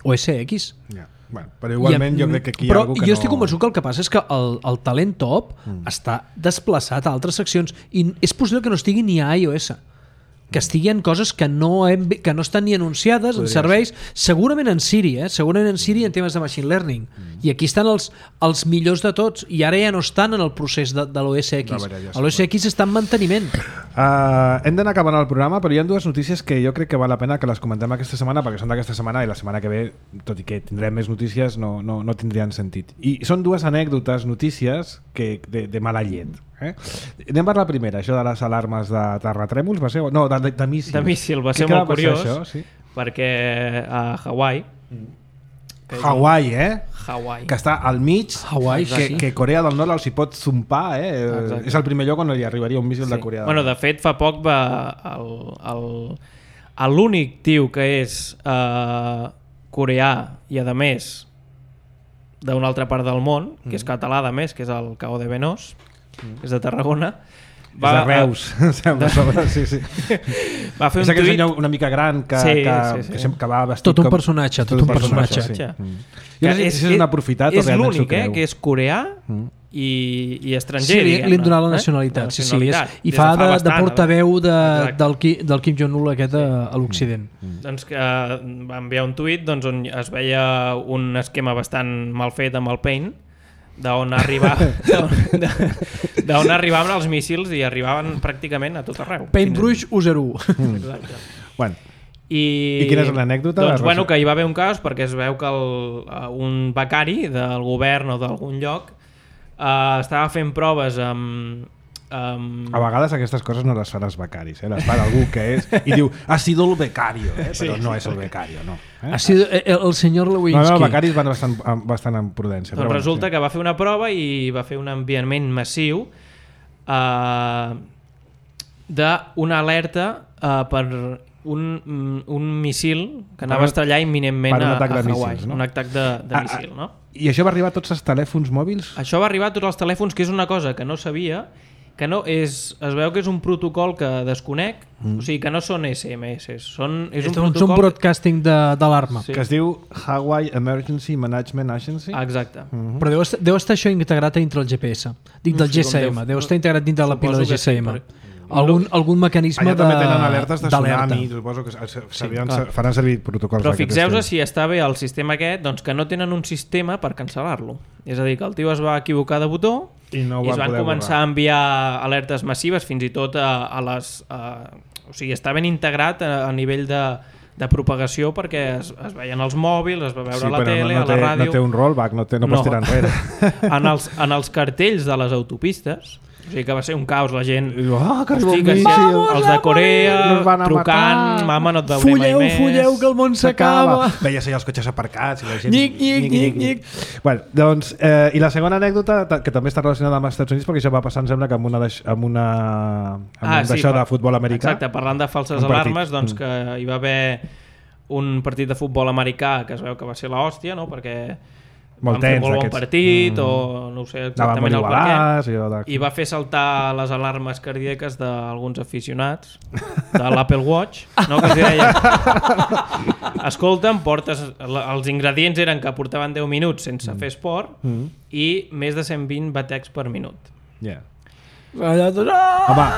O S X. Yeah. Bueno, però igualment I, jo crec que aquí hi ha però algú que jo no... estic convençut que el que passa és que el, el talent top mm. està desplaçat a altres seccions i és possible que no estigui ni a iOS, que estigui en coses que no, hem, que no estan ni anunciades Podria en serveis, ser. segurament en Siri, eh? segurament en Siri en temes de machine learning. Mm. I aquí estan els, els millors de tots i ara ja no estan en el procés de, de l'O S X. L'O S X està en manteniment. Uh, hem d'anar acabant el programa, però hi ha dues notícies que jo crec que val la pena que les comentem aquesta setmana, perquè són d'aquesta setmana i la setmana que ve, tot i que tindrem més notícies, no, no, no tindrien sentit. I són dues anècdotes, notícies que, de, de mala llet. Eh? Anem per la primera, això de les alarmes de terratrèmols, va ser? No, de, de, de míssil. De míssil, va ser molt curiós, això, sí? Perquè a Hawaii... Hawaii, eh? Hawaii. Que està al mig, Hawaii, que, sí. que Corea del Nord els hi pot zompar, eh? Exacte. És el primer lloc on hi arribaria un míssil sí. de Corea del bueno, Nord. De fet, fa poc va el, el, l'únic tio que és eh, coreà i, a més, d'una altra part del món, que és català, a més, que és el Cao de Benós, mm. és de Tarragona, va, és de Reus, a, sembla, sobre, sí, sí. Va fer un és aquell tuit... senyor una mica gran que, sí, que, sí, sí. que, que va vestit tot un com... personatge, tot, tot un personatge, personatge. Sí. Mm. Jo no sé si és un aprofitat és o realment s'ho l'únic, creu. Eh, que és coreà mm. i, i estranger. Sí, li, li han donat la eh? nacionalitat, la sí, nacionalitat. sí, és, i fa, fa de, bastant, de portaveu de, del, del Kim Jong-un aquest sí. a, a l'Occident. Mm. Doncs que uh, va enviar un tuit doncs, on es veia un esquema bastant mal fet amb el Paint, d'on arribava d'on arribaven els míssils i arribaven pràcticament a tot arreu. Paintbrush u zero u. Exacte. Bueno. I, I quina és l'anècdota? Doncs bueno, que hi va haver un cas perquè es veu que el, un becari del govern o d'algun lloc uh, estava fent proves amb, amb... A vegades aquestes coses no les fan els becaris, eh? Les fan algú que és i diu, ha sido el becario, eh? Però sí, no és el becario, no. Eh? Ha sido el, el senyor Lewinsky. No, no, els becaris van bastant, bastant en prudència. Doncs però resulta sí. que va fer una prova i va fer un enviament massiu uh, d'una alerta uh, per un, un missil que anava a estrellar imminentment a, a Hawaii. Míssils, no? Un atac de, de ah, missil, no? I això va arribar a tots els telèfons mòbils? Això va arribar a tots els telèfons, que és una cosa que no sabia, que no és, es veu que és un protocol que desconec, mm. o sigui que no són S M S, són, és un protocol... És un broadcasting d'alarma. Sí. Que es diu Hawaii Emergency Management Agency. Exacte. Mm-hmm. Però deu estar, deu estar això integrat dintre el G P S, dintre del G S M, deu, deu estar integrat dintre la pila de G S M. Sí, algun, algun mecanisme allà de també tenen alertes de d'alerta. tsunami, suposo que sí, clar. faran servir protocols. Però fixeu-vos si està bé el sistema aquest, doncs que no tenen un sistema per cancel·lar-lo. És a dir, que el tio es va equivocar de botó i, no i es van començar borrar. a enviar alertes massives fins i tot a, a les... A, o sigui, està ben integrat a, a nivell de, de propagació perquè es, es veien els mòbils, es va veure sí, a la tele, no, no a la té, ràdio... No té un rollback, no, té, no, no. pots tirar enrere. En els, en els cartells de les autopistes, o sigui que va ser un caos, la gent... Oh, que Hosti, que si els de Corea trucant, mama, no et veuré fulleu, mai més... Fulleu, que el món s'acaba! Veies allà els cotxes aparcats i la gent... Nhic, nhic, nhic, nhic. Bueno, doncs, eh, i la segona anècdota, que també està relacionada amb els Estats Units, perquè això va passar, em sembla, que amb una, amb una amb ah, un sí, d'això per, de futbol americà. Exacte, parlant de falses alarmes, doncs que hi va haver un partit de futbol americà que es veu que va ser l'hòstia, no? Perquè molt van fer tens, molt bon aquests. partit mm. o no ho sé exactament el perquè de... i va fer saltar les alarmes cardíaques d'alguns aficionats de l'Apple Watch, no? Que els deia escolta, portes els ingredients eren que portaven deu minuts sense mm. fer esport mm. i més de cent vint batecs per minut. Yeah. Home,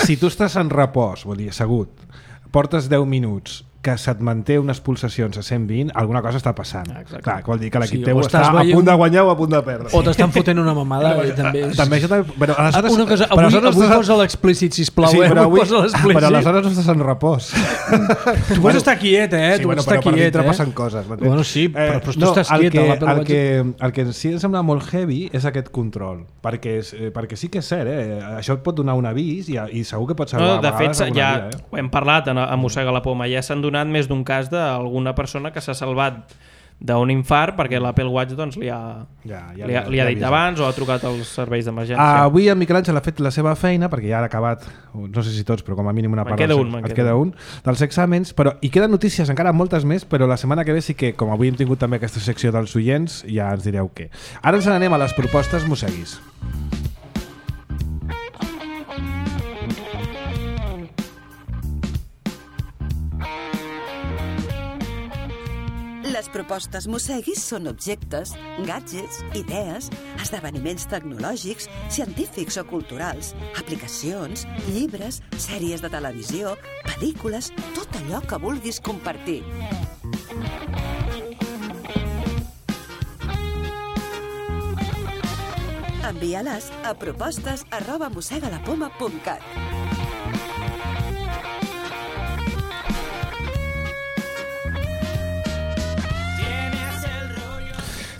si tu estàs en repòs, vol dir, assegut, portes deu minuts que se't manté unes pulsacions a cent vint, alguna cosa està passant. Exacte. Clar, vol dir que l'equip sí, teu està a punt de guanyar o a punt de perdre. O t'estan fotent una mamada. No, també és... també això també... Però aleshores, una cosa, avui, avui estàs... posa l'explícit, sisplau. Sí, però, eh? avui, posa l'explícit. però aleshores no estàs en repòs. Tu pots estar quiet, eh? Sí, tu bueno, estar però per quiet, dintre eh? passen coses. Bueno, sí, però, però tu no, estàs el quiet. Que, el, el, que, el que sí em sembla molt heavy és aquest control. Perquè, és, perquè sí que és cert, eh? Això et pot donar un avís i, i segur que pot salvar no, de a fet, vegades ja vida, eh? ho hem parlat a, a Mossega la Poma, ja s'han donat més d'un cas d'alguna persona que s'ha salvat d'un infart perquè l'Apple Watch doncs, li, ha, ja, ja li, ha, li ha dit abans o ha trucat als serveis d'emergència. Ah, avui en Miquel Àngel ha fet la seva feina perquè ja ha acabat, no sé si tots, però com a mínim una part. Me'n queda un, et queda un dels exàmens, però i queden notícies encara moltes més, però la setmana que ve sí que, com avui hem tingut també aquesta secció dels oients, ja ens direu què. Ara ens n'anem a les propostes mosseguis. Les propostes mosseguis són objectes, gadgets, idees, esdeveniments tecnològics, científics o culturals, aplicacions, llibres, sèries de televisió, pel·lícules, tot allò que vulguis compartir. Envia-les a propostes arroba mossegalapoma punt cat.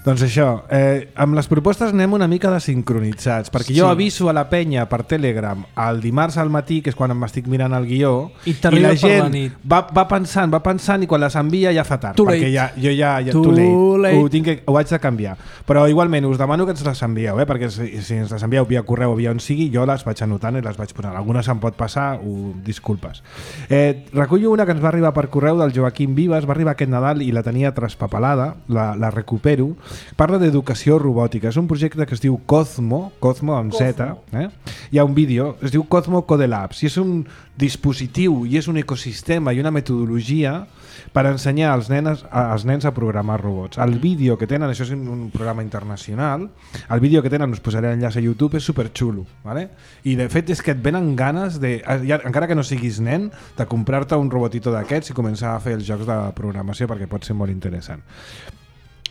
Doncs això, eh, amb les propostes anem una mica desincronitzats, perquè jo sí. aviso a la penya per Telegram el dimarts al matí, que és quan m'estic mirant el guió, i, i la gent va, va pensant, va pensant i quan les envia ja fa tard, too perquè late. ja, jo ja, ja too too late. late. Ho, tinc que, ho haig de canviar. Però igualment us demano que ens les envieu, eh? Perquè si, si ens les envieu via correu o via on sigui, jo les vaig anotant i les vaig posant. Algunes em pot passar, ho, disculpes. Eh, recullo una que ens va arribar per correu del Joaquim Vives, va arribar aquest Nadal i la tenia traspapelada, la, la recupero. Parla d'educació robòtica. És un projecte que es diu Cosmo, Cosmo amb Z. Eh? Hi ha un vídeo, es diu Cosmo Code Labs, i és un dispositiu i és un ecosistema i una metodologia per ensenyar als, nenes, als nens a programar robots. El vídeo que tenen, això és un programa internacional, el vídeo que tenen, us posaré l'enllaç a YouTube, és superxulo, ¿vale? I de fet és que et venen ganes, de, ja, encara que no siguis nen, de comprar-te un robotito d'aquests i començar a fer els jocs de programació perquè pot ser molt interessant.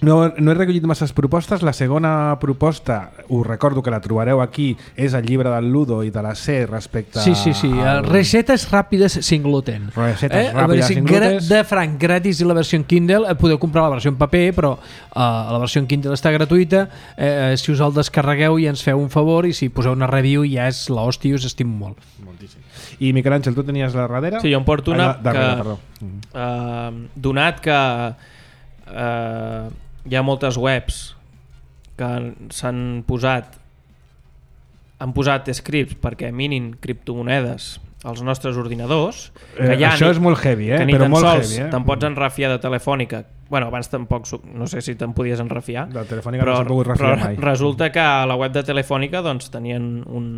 No, no he recollit masses propostes. La segona proposta, us recordo que la trobareu aquí, és el llibre del Ludo i de la C respecte sí, sí, sí. a... Recetes ràpides sin gluten. Recetes eh? ràpides sin gluten. De franc, gratis i la versió en Kindle. Podeu comprar la versió en paper, però uh, la versió en Kindle està gratuïta. Eh, si us el descarregueu i ens feu un favor, i si poseu una review ja és l'hòstia, us estimo molt. Moltíssim. I Miquel Àngel, tu tenies la darrere? Sí, jo em porto una ah, darrere, que, uh, donat que uh, hi ha moltes webs que s'han posat han posat scripts perquè minin criptomonedes als nostres ordinadors, que ja eh, això ni, és molt heavy, eh? que ni però tan molt sols heavy, eh? te'n pots enrafiar de Telefònica. Bueno, abans tampoc, no sé si te'n podies enrafiar, de Telefònica però, no s'ha pogut refiar però mai. resulta que a la web de Telefònica doncs, tenien un,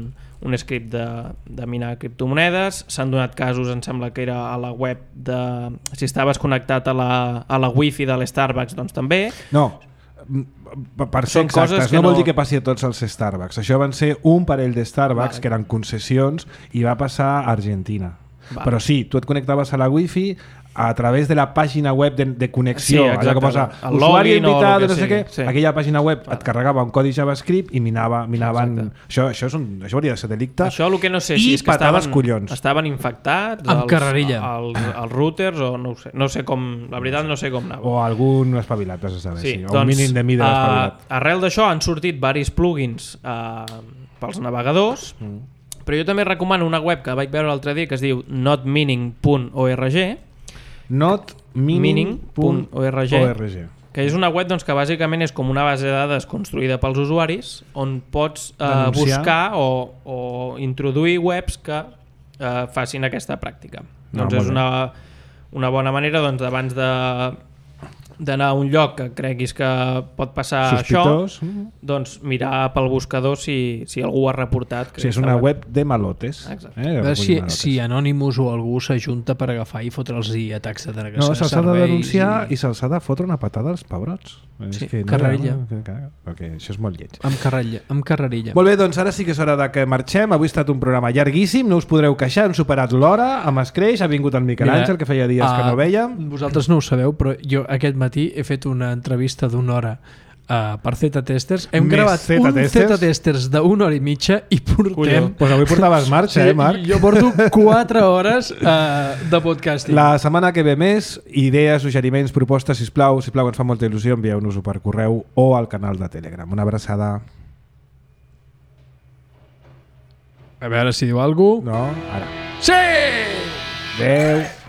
un script de, de minar criptomonedes. S'han donat casos, em sembla que era a la web de... si estaves connectat a la, a la wifi de l'Starbucks, doncs també. No, per ser exactes, no, no vol dir que passi a tots els Starbucks. Això van ser un parell de Starbucks vale. que eren concessions i va passar a Argentina. Vale. Però sí, tu et connectaves a la Wi-Fi a través de la pàgina web de, de connexió, sí, allò que posa usuari invitado, no sé què, sí. aquella pàgina web et carregava un codi JavaScript i minava, minaven... Això, això, és un, això hauria de ser delicte. Això el que no sé I si és que estaven, collons. estaven infectats amb els, carrerilla. Els, els routers o no ho sé. No sé com, la veritat no sé com anava. O algun espavilat, has de saber, sí. sí. O doncs, un mínim de mida uh, espavilat. Arrel d'això han sortit varis plugins uh, pels navegadors, mm. però jo també recomano una web que vaig veure l'altre dia que es diu not meaning punt org not meaning punt org que és una web doncs, que bàsicament és com una base de dades construïda pels usuaris on pots eh, buscar o, o introduir webs que eh, facin aquesta pràctica. No, doncs és una, una bona manera doncs, abans de d'anar a un lloc que creguis que pot passar sospitós. Això, doncs mirar pel buscador si, si algú ha reportat. Sí, és una web de malotes. Eh? A veure si, malotes. Si Anonymous o algú s'ajunta per agafar i fotre'ls atacs de denegació no, se'ls ha de denunciar i, i se'ls ha de fotre una patada als pebrots. Sí, és que carrerilla. No, okay, això és molt lleig. Amb, carrerilla, amb carrerilla. Molt bé, doncs ara sí que és hora de que marxem. Avui ha estat un programa llarguíssim, no us podreu queixar, hem superat l'hora, amb Escreix, ha vingut el Miquel Àngel, que feia dies uh, que no vèiem. Vosaltres no ho sabeu, però jo aquest matí he fet una entrevista d'una hora uh, per Z-Testers. Hem Més gravat un Z-Testers d'una hora i mitja i portem... Doncs pues avui portaves marxa, sí, eh, Marc? Jo porto quatre hores uh, de podcasting. La setmana que ve més, idees, suggeriments, propostes, sisplau, sisplau, ens fa molta il·lusió, envieu-nos-ho per correu o al canal de Telegram. Una abraçada. A veure si diu alguna cosa. No, ara. Sí! Adéu.